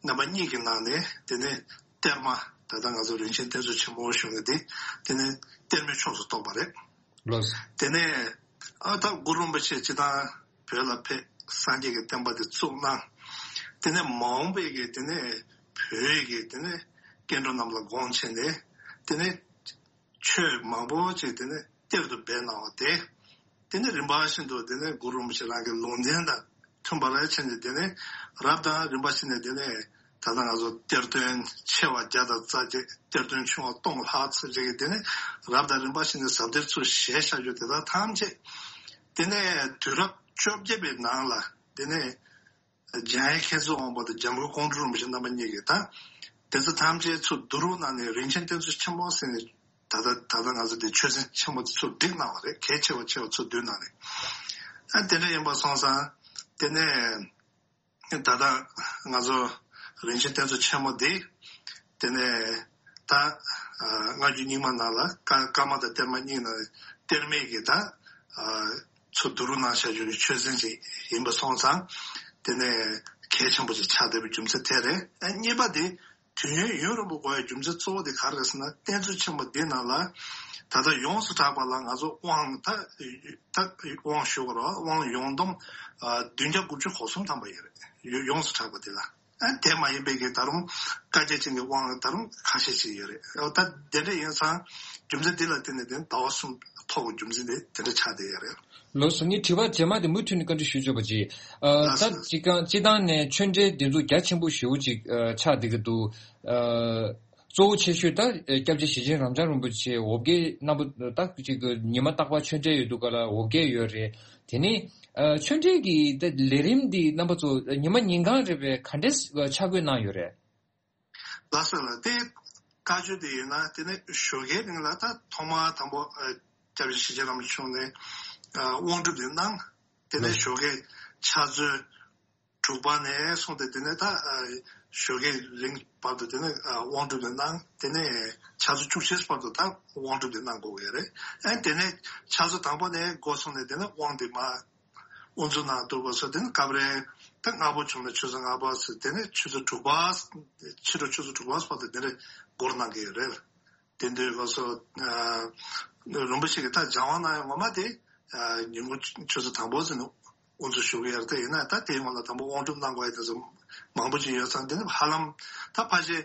རྣམ་པ་གཉིས་ཀྱི་ནང་ནས་དེ་ནས་གཏེར་མ་ད་ལྟ་ང་ཚོ་རིན་ཆེན་གཏེར་མཛོད་ཆེན་མོ་ཞུ་མཁན་དེ་དེ་ནས་གཏེར་མའི་ཕྱོགས་སུ་གཏོགས་པ་རེད། ལགས། དེ་ནས་ཨ་ད་གུ་རུ་རིན་པོ་ཆེ་སྤྱིར་བཏང་བོད་ལ་ཕེབས་སངས་རྒྱས་ཀྱི་བསྟན་པ་དེ་བཙུགས་གནང་། དེ་ནས་མ་འོངས་པའི་གི་དེ་ནས་བོད་ཀྱི་དེ་ནས་སྐྱེ་འགྲོ་རྣམས་ལ་དགོངས་བྱས་ནས་དེ་ནས་ཆོས་མང་པོ་ཅིག་དེ་ནས་གཏེར་དུ་སྦས་གནང་བ་དེ། དེ་ནས་རིམ་པ་བཞིན་དུ་དེ་ནས་གུ་རུ་རིན་པོ་ཆེ་རང་གི་ལུང་བསྟན་དང་མཐུན་པ་ལ་ཕྱིན་ནས་དེ་ནས་རབ་དང་རིམ་པ་བཞིན་ནས་དེ་ནས་ད་ལྟ་ང་ཚོ་གཏེར་སྟོན་ཆེ་བ་བརྒྱ་དང་རྩ་བརྒྱད། གཏེར་སྟོན་ཆུང་བ་སྟོང་ལྷག་ཙམ་ཅིག་གིས་དེ་ནས་རབ་དང་རིམ་པ་བཞིན་ནས་ཟབ་གཏེར་ཚུར་བཞེས་བཞག་རྒྱུ་དེ་དག་ཐམས་ཅད་དེ་ནས་དུས་རབས་བཅོ་བརྒྱད་པའི་ནང་ལ་དེ་ནས། འཇམ་དབྱངས་མཁྱེན་བརྩེ་དབང་པོ་དང་འཇམ་མགོན་ཀོང་སྤྲུལ་རིན་པོ་ཆེ་རྣམ་པ་གཉིས་ཀྱིས་ད་དེ་ཚོ་ཐམས་ཅད་ཚུར་བསྡུ་རུབ་གནང་ནས་རིན་ཆེན་གཏེར་མཛོད་ཆེན་མོ་ཟེར་ནས་ད་ལྟ་ད་ལྟ་ང་ཚོ་འདི་ཆོས་ཚན་ཆེན་མོ་དེ་ཚུར་བསྒྲིགས་གནང་བ་རེད། གལ་ཆེ་བ་ཆེ་བ་ཚུར་བསྡུས་གནང་རེད། ཨ་དེ་འདྲ་ཡིན་པ་སོང་ཙང་དེ་ནས་ད་ལྟ་ང་ཚོ་རིན་ཆེན་གཏེར་མཛོད་ཆེན་མོ་འདི་དེ་ནས་ད་ཨ་སྔ་འགྱུར་རྙིང་མ་ནང་ལ་བཀའ་བཀའ་མ་དང་གཏེར་མ་གཉིས་ནང་གཏེར་མའི་གི་ད་ཨ་ཚུར་བསྡུ་རུབ་གནང་བཞག་རྒྱུ་གི་ཆོས་ཚན་ཅིག་ཡིན་པ་སོང་ཙང་དེ་ནས་གལ་ཆེན་པོ་ཅིག་ཆགས་བསྡད་པའི་རྒྱུ་མཚན་དེ་རེད། ཨ་གཉིས་པ་དེ་དུས་ཡུན་ཡུན་རིང་པོ་འགོར་བའི་རྒྱུ་མཚན་གཙོ་བོ་དེ་ག་རེ་རེད་ཟེར་ན། གཏེར་མཛོད་ཆེན་མོ་འདི་ནང་ལ་ད་ལྟ་ཡོངས་སུ་གྲགས་པ་ལ་ང་ཚོ་དབང་ད་ད་དབང་ཞུ་དགོས་རེད་བ། དབང་ཡོངས་བསྡོམས་ཨ་བདུན་བརྒྱ་དགུ་བཅུ་གོ་གསུམ་ཐམ་པ་ཡོད་རེད། ཡོ་ཡོངས་སུ་གྲགས་པ་དེ་ལ། ཨ་དེ་མ་ཡིན་པའི་གི་ད་རུང་བཀའ་རྒྱ་ཅན་གྱི་དབང་ད་རུང་ཁ་ཤས་ཤིག་ཡོད་རེད། ཨོ་ད་དེ་འདྲ་ཡིན་ཙང་རྒྱུ་མཚན་འདི་ལ་བརྟེན་ནས་དེ་ཟླ་བ་གསུམ་ཐོག་གི་རྒྱུ་མཚན་དེ་དེ་འདྲ་ཆགས་བསྡད་ཡོད་རེད། ལགས་སོ། ངས་དྲི་བ་རྗེས་མ་དེ་མུ་མཐུད་ནས་བཀའ་འདྲི་ཞུ་ཆོག་པ་ཅིག་ཨ་ལགས་ད་སོ། སྤྱི་ཁང་སྤྱི་བཏང་ནས་ཆོས་འབྲེལ་འདི་ཚོ་རྒྱ་ཆེན་པོ་ཞེ་པོ་ཅིག་ཨ་ཆགས་བསྡད་ཀྱི་འདུག་ཨ་གཙོ་བོ་ཆེ་ཤོས་ད་སྐྱབས་རྗེ་ཞེ་ཆེན་རབ་འབྱམས་རིན་པོ་ཆེ་འོ་བརྒྱལ་རྣམ་པ་ད་ཅིག་ཉི་མ་རྟག་པར་ཆོས་འབྲེལ་ཡོད་དུས་ག་ལ་འོ་བརྒྱལ་ཡོད་རེད། དེ་ནས་ཨ་ཆོས་འབྲེལ་གྱི་ད་ལས་རིམ་འདི་རྣམ་པ་ཚོ་ཉི་མ་ཉིན་གང་རེ་བའི་ག་འདྲས་ཆ་བགོས་གནང་ཡོད་རེད། ལགས་སོ་ལགས། དེ་བཀའ་ཆོས་དེ་ཡིན་ན་དེ་ནས་ཞོགས་ཀའི་རིང་ལ་ད་ཐོག་མ་དང་པོ་ཨ་སྐྱབས་རྗེ་ཞེ་ཆེན་རིན་པོ་ཆེ་མཆོག་ནས་ཨ་དབང་སྒྲུབ་དེ་གནང་། དེ་ནས་ལགས། ཞོགས་ཀའི་ཕྱག་ཚོད་དྲུག་པ་ནས་བཟུང་སྟེ་དེ་ནས་ད་ཨ་ཞོགས་ཀའི་རིང་བར་དུ་དེ་ནས་ཨ་དབང་སྒྲུབ་དེ་གནང་། དེ་ནས་ཕྱག་ཚོད་བཅུ་གཅིག་བར་དུ་ད་དབང་སྒྲུབ་དེ་གནང་དགོས་ཀྱི་རེད། ཨ་དེ་ནས་ཕྱག་ཚོད་དང་པོ་ནས་འགོ་བཟུང་ནས་དེ་ནས་དབང་དེ་མར་དབུ་འཛུགས་གནང་འདུག་པ་སོགས། དེ་ནས་སྐབས་རེ་ད་སྔ་པོ་བྱུང་ན་ཆུ་ཚོད་ལྔ་པ་ཟེར། དེ་ནས་ཆུ་ཚོད་དྲུག་པ། ཕྱི་དྲོ་ཆུ་ཚོད་དྲུག་པ་བར་དུ་དེ་འདྲ་འགོར་གནང་གི་ཡོད་རེད། དེ་འདྲའི་སྐབས་སུ་རིན་པོ་ཆེ་གིས་ད་སྦྱང་བ་གནང་ཡག་ངོ་མ་དེ་ཉིན་གུང་ཆུ་ཚོད་དང་པོ་ཟེར་ནས་དབུ་འཛུགས་ཞུ་གི་ཡོད་རེད། དེ་ཡིན་ན་ད་དེའི་སྔོན་ལ་དང་པོ་དབང་སྒྲུབ་གནང་དགོས་ཡག་དེ་ཚོ་མང་པོ་ཅིག་ཡོད་ཙང་། དེ་ནི་ཧ་ལམ་ད་ཕལ་ཆེར་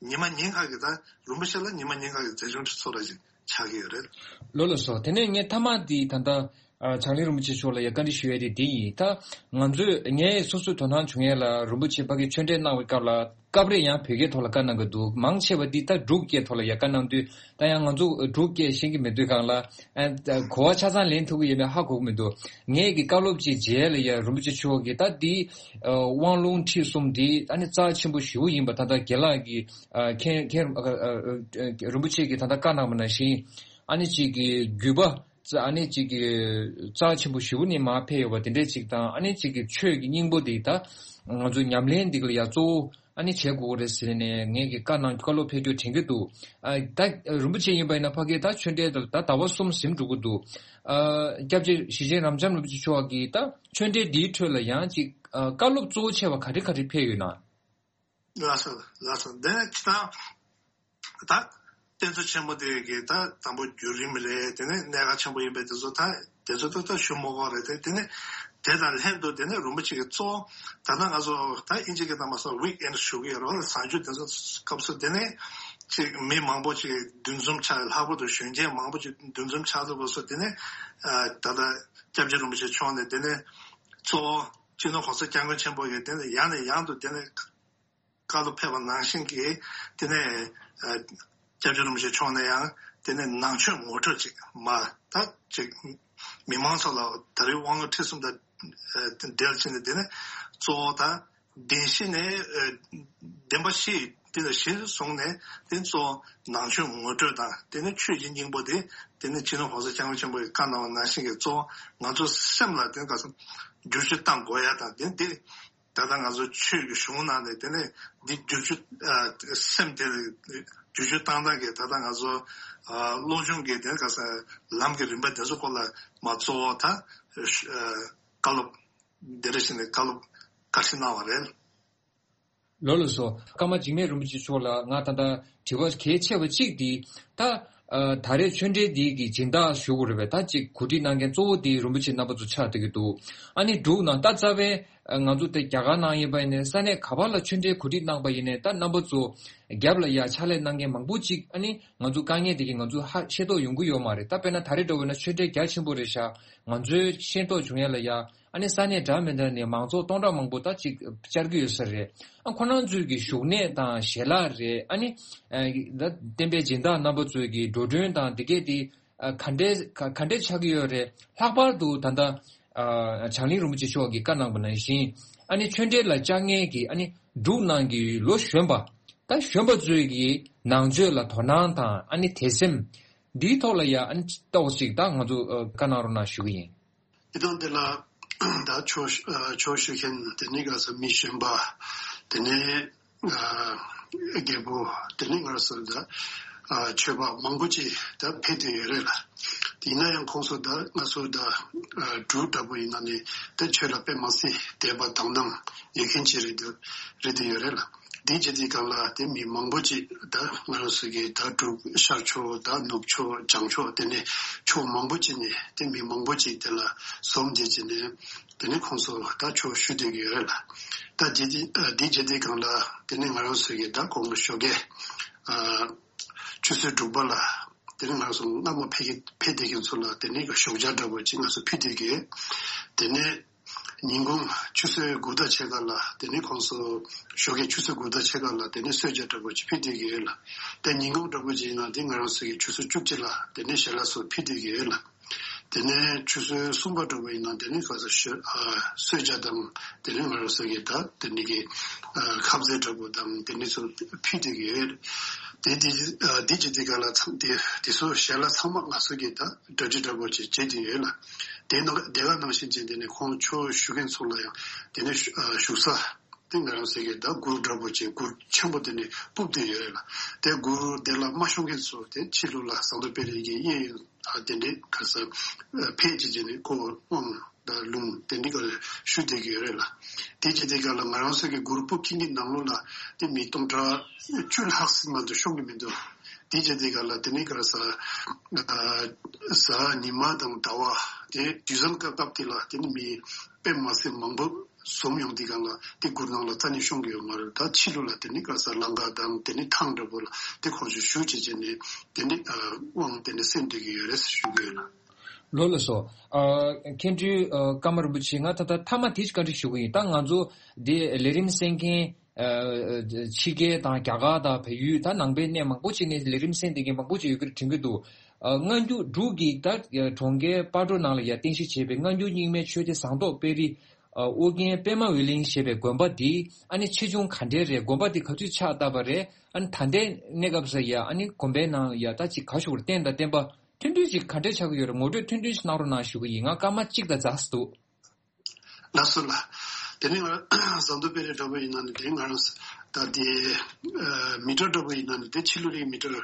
ཉི་མ་ཉིན་གང་གི་ད་རིན་པོ་ཆེ་ལ་ཉི་མ་ཉིན་གང་གི་མཛད་འཆར་ཚོ་ར་ཅིག་ཆགས་ཀྱི་ཡོད་རེད། ལགས་ལགས་སོ། དེ་ནས་ངས་མཐའ་མ་འདི་ད་ལྟ་ ཨ། བྱང་གླིང་རིན་པོ་ཆེ་མཆོག་ལ་ཡ་བཀའ་འདྲི་ཞུ་ཡ་དེ་འདི་ཡིན། ད་ང་ཚོས་ངས་སོ་སོའི་དོ་སྣང་བྱུང་ཡ་ལ་རིན་པོ་ཆེ་ཕ་གིར་ཆོས་འབྲེལ་གནང་བའི་སྐབས་ལ་སྐབས་རེ་ཡང་བོད་སྐད་ཐོག་ལ་བཀའ་གནང་གི་འདུག་མང་ཆེ་བ་འདི་ད་འབྲུག་སྐད་ཐོག་ལ་ཡ་བཀའ་གནང་དུས། ད་ཡང་ང་ཚོ་འབྲུག་སྐད་ཤེས་ཀྱི་མེད་དུས་སྒང་ལ། ཨ། གོ་བ་ཆ་ཚང་ལེན་ཐུབ་ཀྱི་ཡོད་མེད་ཧ་གོ་གི་མི་འདུག་ངས་ཀྱི་བཀའ་སློབ་ཅིག་མཇལ་ལ་ཡ་རིན་པོ་ཆེ་མཆོག་གིས་ད་འདི། ཨ། དབང་ལུང་ཁྲིད་གསུམ་འདི་ཨ་ནི་རྩ་ཆེན་པོ་ཞེ་པོ་ཡིན་པ་ད་ལྟ་རྒན་ལགས་ཀྱིས། ཨ། མཁྱེན་མཁྱེན། ཨ། ཨ། རིན་པོ་ཆེ་གིས་ད་ལྟ་བཀའ་གནང་བ་ནང་བཞིན། ཨ་ནི་གཅིག་གི་བརྒྱུད་པ། ཨ་ནི་གཅིག་གི་རྩ་ཆེན་པོ་ཞེ་པོ་ནས་མར་ཕེབས་ཡོད་པ་དེ་འདྲས་ཅིག་དང་། ཨ་ནི་གཅིག་གི་ཆོས་ཀྱི་སྙིང་པོ་འདི་ད་ང་ཚོ་ཉམས་ལེན་འདི་ལ་ཡ་གཙོ་བོ་ཨ་ནི་བྱེད་དགོས་རེད་ཟེར་ནས་ངས་ཀྱི་བཀའ་གནང་། བཀའ་སློབ་ཕེབས་རྒྱུ་དྲན་གྱི་འདུག་ཨ། ད་རིན་པོ་ཆེ་ཡིན་པ་ཡིན་ན་ཕ་གིར་ད་ཆོས་འབྲེལ་ད་ད་ཟླ་བ་གསུམ་ཟིན་འགྲོ་གི་འདུག་ཨ། སྐྱབས་རྗེ་ཞེ་ཆེན་རབ་འབྱམས་རིན་པོ་ཆེ་མཆོག་གིས་ད་ཆོས་འབྲེལ་འདིའི་ཁྲོད་ལ་ཡང་ཅིག་ཨ། བཀའ་སློབ་གཙོ་བོ་ཆེ་བ་ག་རེ་ག་རེ་ཕེབས་ཡོད་ན། ལགས་སོ། ལགས་སོ། འདི་ནི་ཅི་ད། ད་རྟེན་གཙོ་ཆེན་པོ་དེ་གི་ད་དང་པོ་བརྒྱུད་རིམ་རེད། དེ་ནས་གནད་འགག་ཆེན་པོ་ཡིན་པའི་དེ་ཚོ་ད་དེ་ཚོ་ད་ད་ཞུ་མ་དགོས་རེད་དེ། དེ་ནས་དེ་དང་ལྷན་དུ་དེ་ནས་རིན་པོ་ཆེ་གི་གཙོ་བོ་ད་ལྟ་ང་ཚོ་ད་དབྱིན་ཇི་གི་ནང་མ་སོང་ཝིག་ཨེན་ཌི་ཞུ་གི་ཡོད་རེད་བ། གཟའ་མཇུག་དེ་ཚོ་སྐབས་སུ་དེ་ནས་ཅིག་མི་མང་པོ་ཅིག་འདུ་འཛོམས་ཆགས། ལྷག་པར་དུ་གཞོན་སྐྱེས་མང་པོ་ཅིག་འདུ་འཛོམས་ཆགས་ཚར་བ་སོང་། དེ་ནས་ཨ། ད་ལྟ་སྐྱབས་རྗེ་རིན་པོ་ཆེ་མཆོག་ནས་དེ་ནས་གཙོ་བོ་སྤྱི་ནོར་༸གོང་ས་༸སྐྱབས་མགོན་ཆེན་པོ་གིས་དེ་ནས་ཡང་ནས་ཡང་དུ་དེ་ནས་བཀའ་སློབ་ཕེབས་པ་ནང་བཞིན་གྱི་དེ་ནས་ཨ། སྐྱབས་རྗེ་རིན་པོ་ཆེ་མཆོག་ནས་ཡང་དེ་ནས་ནང་ཆོས་ངོ་སྤྲོད་ཅིག་མ་ད་ཅིག་མི་མང་ཚོ་ལ་ད་རེས་དབང་ལུང་ཁྲིད་གསུམ་དང་ཨ། འབྲེལ་བྱས་ནས་དེ་ནས་གཙོ་བོ་ད་བདེན་བཞི་ནས་ཨ། བདེན་པ་བཞི་དེ་ལ་གཞིར་བཟུང་ནས་དེ་གཙོ་བོ་ནང་ཆོས་ངོ་སྤྲོད་དང་། དེ་ནས་ཆོས་ཀྱི་སྙིང་པོ་དེ་དེ་ནས་སྤྱི་ནོར་༸གོང་ས་༸སྐྱབས་མགོན་ཆེན་པོ་ཡིས་བཀའ་གནང་བ་ནང་བཞིན་གྱི་གཙོ་བོ་ང་ཚོ་སེམས་ལ་དེ་ག་ས་བསྒྱུར་བཅོས་བཏང་དགོས་ཡ་དང་། དེ་དེ་ད་ལྟ་ང་ཚོ་ཆོས་ཀྱི་གཞུང་ནང་ནས་དེ་ནས་འདི་བསྒྱུར་བཅོས་ཨ། སེམས་དེ་བསྒྱུར་བཅོས་བཏང་སྟངས་ཀྱི་ད་ལྟ་ང་ཚོ་ཨ། སློབ་སྦྱོང་གི་དེ་ག་ས་ལམ་གྱི་རིམ་པ་དེ་ཚོ་སྐོར་ལ་མ་གཙོ་བོ་ད་ཨ། བཀའ་སློབ་འདི་འདྲ་བྱས་ནས་བཀའ་སློབ་བཀའ་ཁྲིད་གནང་བ་རེད། ལགས་ལགས་སོ། ཀརྨ་འཇིགས་མེད་རིན་པོ་ཆེ་མཆོག་ལ་ང་ད་ལྟ་དྲི་བ་གལ་ཆེ་བ་གཅིག་འདི་ད། ཨ། ད་རེས་ཆོས་འབྲེལ་འདི་གི་སྦྱིན་བདག་ཞུ་དགོས་རེད་པས། ད་ཅིག་གོ་སྒྲིག་གནང་མཁན་གཙོ་བོ་འདི་རིན་པོ་ཆེ་རྣམ་པ་ཚོ་ཆགས་བསྡད་ཀྱི་འདུག་ཨ་ནི་འབྲུག་ནང་ད་རྩ་བའི་ང་ཚོ་དེ་རྒྱ་གར་ནང་ཡིན་པ་ཡིན་ནའི་ས་གནས་ག་པར་ལ་ཆོས་འབྲེལ་གོ་སྒྲིག་གནང་པ་ཡིན་ནའི་ད་རྣམ་པ་ཚོ་རྒྱབ་ལ་ཡ་ཕྱག་ལས་གནང་མཁན་མང་པོ་ཅིག་ཨ་ནི་ང་ཚོ་དཀའ་ངལ་དེ་གི་ང་ཚོ་ཧ་ཤེས་རྟོགས་ཡོང་གི་ཡོད་མ་རེད། ད་དཔེར་ན་ད་རེས་འདྲ་བོ་ན་ཆོས་འབྲེལ་རྒྱ་ཆེན་པོ་རེད་ཤག་ང་ཚོའི་ཤེས་རྟོགས་བྱུང་ཡ་ལ་ཡ། ཨ་ནི་ས་གནས་འདྲ་མི་འདྲ་ནས་མང་ཚོགས་སྟོང་ཕྲག་མང་པོ་ད་ཅིག་བཅར་གྱི་ཡོད་ས་རེད། ཨ། ཁོ་རང་ཚོའི་གི་བཞུགས་གནས་དང་ཞལ་ལག་རེད། ཨ་ནི་ཨ། ད་བསྟན་པའི་སྦྱིན་བདག་རྣམ་པ་ཚོའི་གི་འགྲོ་གྲོན་དང་དེ་གས་དེ་ཨ། ག་འདྲས་ག་ག་འདྲས་ཆགས་ཀྱི་ཡོད་རེད། ལྷག་པར་དུ་ད་ལྟ་ཨ། བྱང་གླིང་རིན་པོ་ཆེ་མཆོག་གིས་བཀའ་གནང་པ་ནང་བཞིན། ཨ་ནི་ཆོས་འབྲེལ་ལ་བཅར་མཁན་གྱི་ཨ་ནི་འབྲུག་ནང་གི་ལོ་གཞོན་པ། ད་གཞོན་པ་ཚོའི་གི་ནང་ཆོས་ལ་དོ་སྣང་དང་ཨ་ནི་དད་སེམས་འདིའི་ཐོག་ལ་ཡ་ཨ་ནི་ཏོག་ཙམ་ད་ང་ཚོ་ཨ། བཀའ་གནང་རོགས་གནང་ཞུ་གི་ཡིན། དེ་དང་དེ་ལ་ད་ཆོས་ཨ། ཆོས་ཞུ་མཁན་དེ་ནས་ག་ས་མི་གཞོན་པ། དེ་ནས་ཨ། རྒད་པོ། དེ་ནས་ང་རང་ཚོ་ད་ཨ། ཆོས་པ་མང་པོ་ཅིག་ད་ཕེབས་བསྡད་ཡོད་རེད་ལ། དེ་ཡིན་ན་ཡང་ཁོང་ཚོ་ད་ང་ཚོ་ད་ཨ། འབྲུག་འདྲ་པོ་ཡིན་ན་ནི་ད་ཆོས་ལ་དཔེ་མ་སྲིད་དད་པ་དང་སྣང་ཡོད་མཁན་ཅིག་རེད་འདུག་རེད་བསྡད་ཡོད་རེད་ལ། དེ་བྱེད་དུས་སྒང་ལ་དེ་མི་མང་པོ་ཅིག་ད་ང་རང་ཚོ་གི་ད་འབྲུག་ཤར་ཕྱོགས་ད་ནུབ་ཕྱོགས་བྱང་ཕྱོགས་དེ་ནས་ཕྱོགས་མང་པོ་ཅིག་ནས་དེ་མི་མང་པོ་ཅིག་དེ་ལ་འཛོམས་བྱས་བྱས་ནས་དེ་ནས་ཁོང་ཚོ་ད་ཆོས་ཞུ་བསྡད་ཀྱི་ཡོད་རེད་ལ། ད་དེ་དེ་དེ་བྱེད་དུས་སྒང་ལ་དེ་ནས་ང་རང་ཚོ་གི་ད་དགོང་མོ་ཞོགས་ཀས་ཨ། ཆུ་ཚོད་དྲུག་པ་ལ་དེ་ནས་ང་རང་ཚོ་སྔ་མོ་ཕེབས་ཀྱི་ཕེབས་བསྡད་མཁན་ཚོ་ལ་དེ་ནས་ཞོགས་ཇ་འདྲ་པོ་ཅིག་ང་ཚོ་ཕུལ་བསྡད་ཀྱི་ཡོད། དེ་ནས། ཉིན་གུང་ཆུ་ཚོད་དགུ་དང་ཕྱེད་ཀ་ལ་དེ་ནས་ཁོང་ཚོ་ཞོགས་ཀའི་ཆུ་ཚོད་དགུ་དང་ཕྱེད་ཀ་ལ་དེ་ནས་གསོལ་ཇ་འདྲ་པོ་ཅིག་ཕུལ་བསྡད་ཀྱི་ཡོད་ལ། དེ་ཉིན་གུང་འདྲ་པོ་ཅིག་ཡིན་ན་དེ་ང་རང་ཚོ་གི་ཆུ་ཚོད་བཅུ་གཅིག་ལ་དེ་ནས་ཞལ་ལག་སོགས་ཕུལ་བསྡད་ཀྱི་ཡོད་ལ། དེ་ནས་ཆུ་ཚོད་གསུམ་པ་འདྲ་པོ་ཡིན་ན་དེ་ནས་ཁ་ས་ཞོ་ཨ་གསོལ་ཇ་དང་དེ་ནས་ང་རང་ཚོ་གི་ད་དེ་ནས་གི་ཨ་ཁ་ཟས་འདྲ་པོ་དང་དེ་ནས་ཚོ་ཕུལ་བསྡད་ཀྱི་ཡོད། དེ་དེ་ཨ་དེ་ཅི་དེ་ག་ལ་ཚང་དེ་དེ་ཚོ་ཞལ་ལག་ཚང་མ་ང་ཚོ་གི་ད་གྲ་སྒྲིག་འདྲ་པོ་ཅིག་བྱེད་བསྡད་ཡོད་ལ། དེ་ནང་དེ་ག་ནང་བཞིན་བྱས་དེ་ནས་ཁོང་ཆོས་ཞུ་མཁན་ཚོ་ལ་ཡང་དེ་ནས་བཞུགས་ས་དེ་ང་རང་ཚོ་གི་ད་གུར་འདྲ་པོ་ཅིག་གུར་ཆེན་པོ་དེ་ནས་སྤུབས་བསྡད་ཡོད་རེད་ལ། དེ་གུར་དེ་ལ་མ་ཤོང་མཁན་ཚོ་དེ་ཕྱི་ལོགས་ལ་ཟངས་མདོག་དཔལ་རི་གི་གཡས་གཡོན་དེ་འདྲས་ག་ས་ཕེབས་བྱས་བྱས་ནས་ཁོ་དབང་དང་ལུང་དེ་འདྲས་ག་ཞུ་བསྡད་ཀྱི་ཡོད་རེད་ལ། དེ་བྱས་དེ་ག་ལ་ང་རང་ཚོ་གི་གུར་སྤུབས་ཁྱིམ་གྱི་ནང་ལོགས་ལ་དེ་མི་སྟོང་ཕྲག་བཅུ་ལྷག་ཙམ་མ་གཏོགས་ཤོང་གི་མི་འདུག་དེ་བྱས་དེ་ག་ལ་དེ་ནས་ག་ས་གཟའ་ཉི་མ་དང་ཟླ་བ་དེ་དུས་བཟང་སྐབས་སྐབས་དེ་ལ་དེ་ནས་མི་དཔེ་མ་སྲིད་མང་པོ་འཛོམས་ཡོང་དུས་སྒང་ལ་དེ་གུར་ནང་ལ་རྩ་ནས་ཤོང་གི་ཡོད་མ་རེད། ད་ཕྱི་ལོགས་ལ་དེ་ནས་ག་ས་ལམ་ཁ་དང་དེ་ནས་ཐང་འདྲ་པོ་ལ་དེ་ཁོང་ཚོས་ཞུ་བྱས་བྱས་ནས་དེ་ནས་དབང་དེ་ནས་སེལ་བསྡད་ཀྱི་ཡོད་རེད་ཞུ་གི་ཡོད་ལ། ལགས་སོ། ཨ། མཁན་སྤྲུལ་ཨ། ཀརྨ་རིན་པོ་ཆེ། ང་ད་ལྟ་མཐའ་མ་དེ་ཅིག་བཀའ་འདྲི་ཞུ་གི་ཡིན། ད་ང་ཚོ་འདི་ལས་རིམ་གསན་མཁན་ཨ། ཕྱི་རྒྱལ་དང་རྒྱ་གར་དང་བལ་ཡུལ། ད་ནང་པའི་གནས་མང་པོ་ཅིག་ནས་ལས་རིམ་གསན་བསྡད་མཁན་མང་པོ་ཅིག་ཡོད་ཀྱི་རེད་དྲན་གྱི་འདུག་ཨ། སྔ་འགྱུར་འབྲུག་གི་ད་གྲོང་ཁྱེར་སྤ་གྲོ་ནང་ལ་ཡ་རྟེན་གཞི་བྱས་པའི་སྔ་འགྱུར་རྙིང་མའི་ཆོས་སྡེ་ཟངས་མདོག་དཔལ་རི་ཨ། ཨོ་རྒྱན་པདྨ་འོད་གླིང་ཞེས་པའི་དགོན་པ་འདི་ཨ་ནི་ཆེ་ཆུང་ག་འདྲའི་རེད། དགོན་པ་འདི་ག་དུས་ཕྱག་བཏབ་པ་རེད། ཨ་ནི་ད་ལྟའི་གནས་སྐབས་སུ་ཡ་ཨ་ནི་དགོན་པའི་ནང་ཡ་ད་ཅིག་ག་ཞུ་དགོས་རེད། རྟེན་དང་བརྟེན་པ་མཐུན་སྒྲིལ་ཅིག་ག་འདྲས་ཆགས་ཀྱི་ཡོད་རེད། ངོ་སྤྲོད་ཐུང་ཐུང་ཞིག་གནང་རོགས་གནང་ཞུ་གི་ཡིན། ང་སྐར་མ་གཅིག་དང་ཛ་ཙམ་འདུག་ལགས་སོ་ལགས། དེ་ནས་ང་ཟངས་མདོག་དཔལ་རི་འདྲ་པོ་ཡིན་ན་ནི་དེ་ང་རང་ད་དེ་ཨ། མི་ཊར་འདྲ་པོ་ཡིན་ན་ནི་དེ་ཕྱི་ལོགས་ལ་མི་ཊར་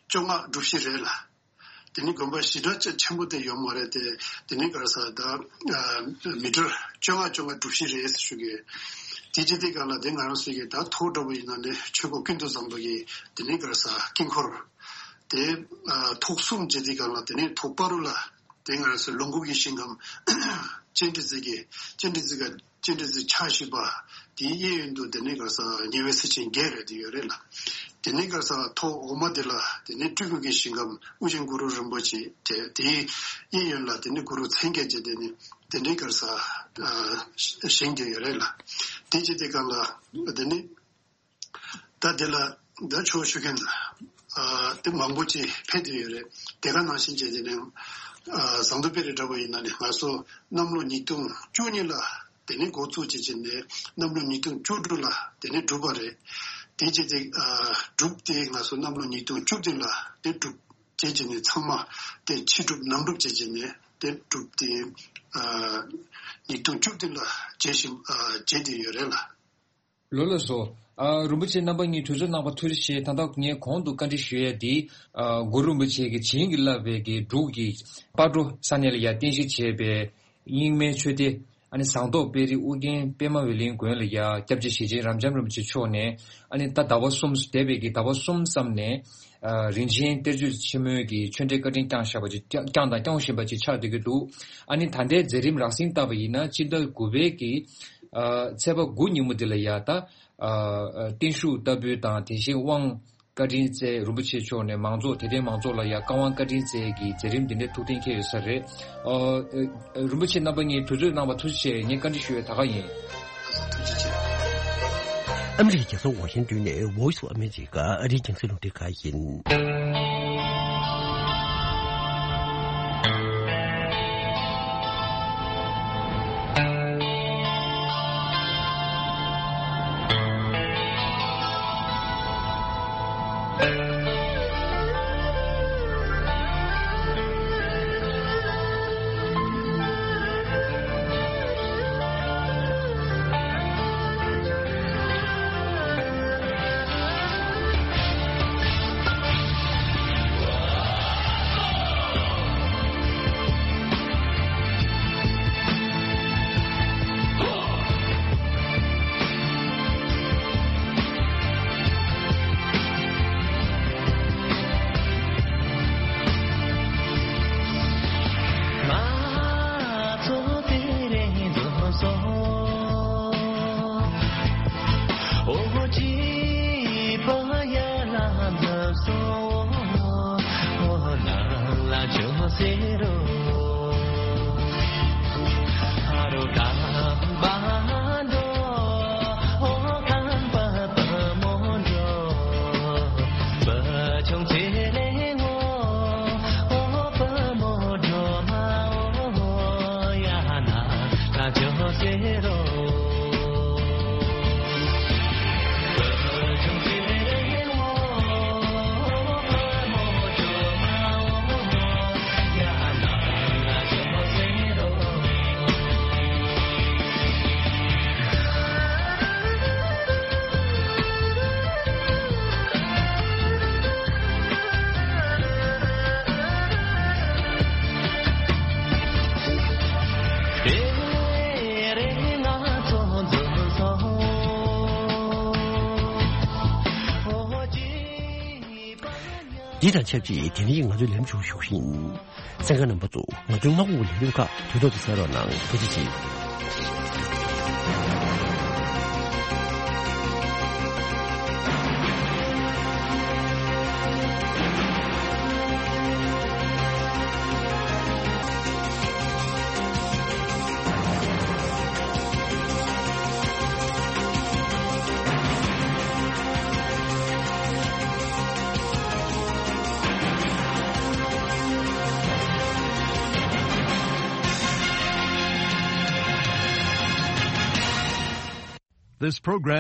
བཅོ་ལྔ་གྲུ་བཞི་རེད་ལགས། དེ་ནི་དགོན་པ་ཞེ་དྲག་ཅིག་ཆེན་པོ་དེ་ཡོད་མ་རེད་དེ། དེ་ནི་ག་རེ་ཟེར་ད་ཨ། མི་ཊར་བཅོ་ལྔ་བཅོ་ལྔ་གྲུ་བཞི་རེད་ཟེར་ཞུ་གི། དེ་བྱེད་དུས་སྒང་ལ་དེ་ང་རང་ཚོ་གི་ད་ཐོག་འདྲ་པོ་ཡིན་ན་ནི་ཆོས་སྐོར་ཀུན་ཏུ་བཟང་པོ་གི་དེ་ནི་ག་རེ་ཟེར་དཀྱིལ་འཁོར་དེ་ཨ། ཐོག་གསུམ་བྱེད་དུས་སྒང་ལ་དེ་ནི་ཐོག་སྤ་རོ་ལ་དེ་ང་རང་ཚོ་ལོངས་སྐུ་གི་ཞིང་ཁམས་སྤྱན་རས་གཟིགས་ཀྱི་སྤྱན་རས་གཟིགས་ཀ་སྤྱན་རས་གཟིགས་ཕྱག་བཞི་པ་དེའི་གཡས་གཡོན་དུ་དེ་ནས་ག་རེ་ཟེར་ཉེ་བའི་སྲས་ཆེན་བརྒྱད་རེད་དེ་ཡོད་རེད་ལགས། དེ་ནས་ག་རེ་ཟེར་ཐོག་འོག་མ་དེ་ལ་དེ་ནས་སྤྲུལ་སྐུ་གི་ཞིང་ཁམས་ཨོ་རྒྱན་གུ་རུ་རིན་པོ་ཆེ་དེ། དེའི་གཡས་གཡོན་ལ་དེ་ནས་གུ་རུ་མཚན་བརྒྱད་ཅེས་དེ་ནས་དེ་འདྲའི་ག་རེ་ཟེར་ཨ། བཞེངས་བསྡད་ཡོད་རེད་ལགས། དེ་བྱེད་དུས་སྒང་ལ་དེ་ནས་ད་དེ་ལ་ད་ཆོས་ཞུ་མཁན་ཨ། དེ་མང་པོ་ཅིག་ཕེབས་བསྡད་ཡོད་རེད། དེ་ག་ནང་བཞིན་བྱས་ཏེ་ནི་ཨ། ཟངས་མདོག་དཔལ་རི་འདྲ་པོ་ཡིན་ན་ནི་ང་ཚོ་གནམ་ལོ་ཉིས་སྟོང་བཅུ་གཉིས་ལ་དེ་ནི་འགོ་བཙུགས་བྱས་བྱས་ནས་གནམ་ལོ་ཉིས་སྟོང་བཅུ་དྲུག་ལ་དེ་ནི་གྲུབ་པ་རེད། དེ་བྱས་ཏེ་ཨ། གྲུབ་སྟེ་ང་ཚོ་གནམ་ལོ་ཉིས་སྟོང་བཅུ་བདུན་ལ་དེ་གྲུབ་བྱས་བྱས་ནས་ཚང་མ་དེ་ཕྱི་གྲུབ་ནང་གྲུབ་བྱས་བྱས་ནས་དེ་གྲུབ་སྟེ་ཨ། ཉིས་སྟོང་བཅུ་བདུན་ལ་མཇལ་ཞིང་ཨ། མཇལ་བསྡད་ཡོད་རེད་ལགས། ལགས་ལགས་སོ། ཨ། རིན་པོ་ཆེ་རྣམ་པ་གཉིས་གྲོས་ཚོགས་གནང་བ་ཐུགས་རྗེ་ཆེ། ད་ལྟ་ངས་གོང་དུ་བཀའ་འདྲི་ཞུ་ཡས་འདི་ཨ། གུ་རུ་རིན་པོ་ཆེ་གིས་བྱིན་གྱིས་བརླབས་པའི་གི་འབྲུག་གི་སྤ་གྲོ་ས་གནས་ལ་ཡ་རྟེན་གཞི་བྱས་པའི་རྙིང་མའི་ཆོས་སྡེ་ཨ་ནི་ཟངས་མདོག་དཔལ་རི་ཨོ་རྒྱན་པདྨ་འོད་གླིང་དགོན་ལ་ཡ་སྐྱབས་རྗེ་ཞེ་ཆེན་རབ་འབྱམས་རིན་པོ་ཆེ་མཆོག་ནས་ཨ་ནི་ད་ཟླ་བ་གསུམ་འདས་པའི་གི་ཟླ་བ་གསུམ་ཙམ་ནས། ཨ། རིན་ཆེན་གཏེར་མཛོད་ཆེན་མོའི་གི་ཆོས་འབྲེལ་བཀའ་དྲིན་བསྐྱངས་བཞག་པ་ཅིག་བསྐྱངས་དང་སྐྱོང་བཞིན་པ་ཅིག་ཆགས་བསྡད་ཀྱི་འདུག་ཨ་ནི་ད་ལྟའི་མཛད་རིམ་རགས་ཟིན་བལྟས་པ་ཡིན་ན་སྤྱི་ཟླ་དགུ་པའི་གི་ཨ། ཚེས་པ་དགུ་ཉིན་མོ་འདི་ལ་ཡ་ད་ཨ། བརྟན་བཞུགས་ལྟ་བུ་དང་དེ་བཞིན་དབང་བཀའ་དྲིན་སྩལ། རིན་པོ་ཆེ་མཆོག་ནས་མང་ཚོགས་དད་ལྡན་མང་ཚོགས་ལ་ཡ་བཀའ་དབང་བཀའ་དྲིན་སྩལ་གྱི་མཛད་རིམ་འདི་འདྲའི་ཐུགས་གཏན་འཁེལ་ཡོད་ས་རེད། ཨ། རིན་པོ་ཆེ་རྣམ་པ་གཉིས་གྲོས་ཚོགས་གནང་བ་ཐུགས་རྗེ་ཆེ། ངས་བཀའ་འདྲི་ཞུ་ཡས་ད་ག་ཡིན། ཨ་མི་རི་ཀའི་རྒྱལ་ས་ཝ་ཤིང་ཏོན་ནས་Voice of America ཨ་རིའི་རྒྱང་སྲིང་རླུང་འཕྲིན་ཁང་ཡིན། འདི་དང་ཆབས་ཅིག་དེ་རིང་ང་ཚོའི་ལམ་ཆུང་ཞུགས་ཤིང་། གསན་མཁན་རྣམ་པ་ཚོ་ང་ཚོའི་སྔ་དགོང་གི་ལས་རིམ་ཁག་དུས་ཐོག་ཏུ་གསན་རོགས་གནང་། ཐུགས་རྗེ་ཆེ། This program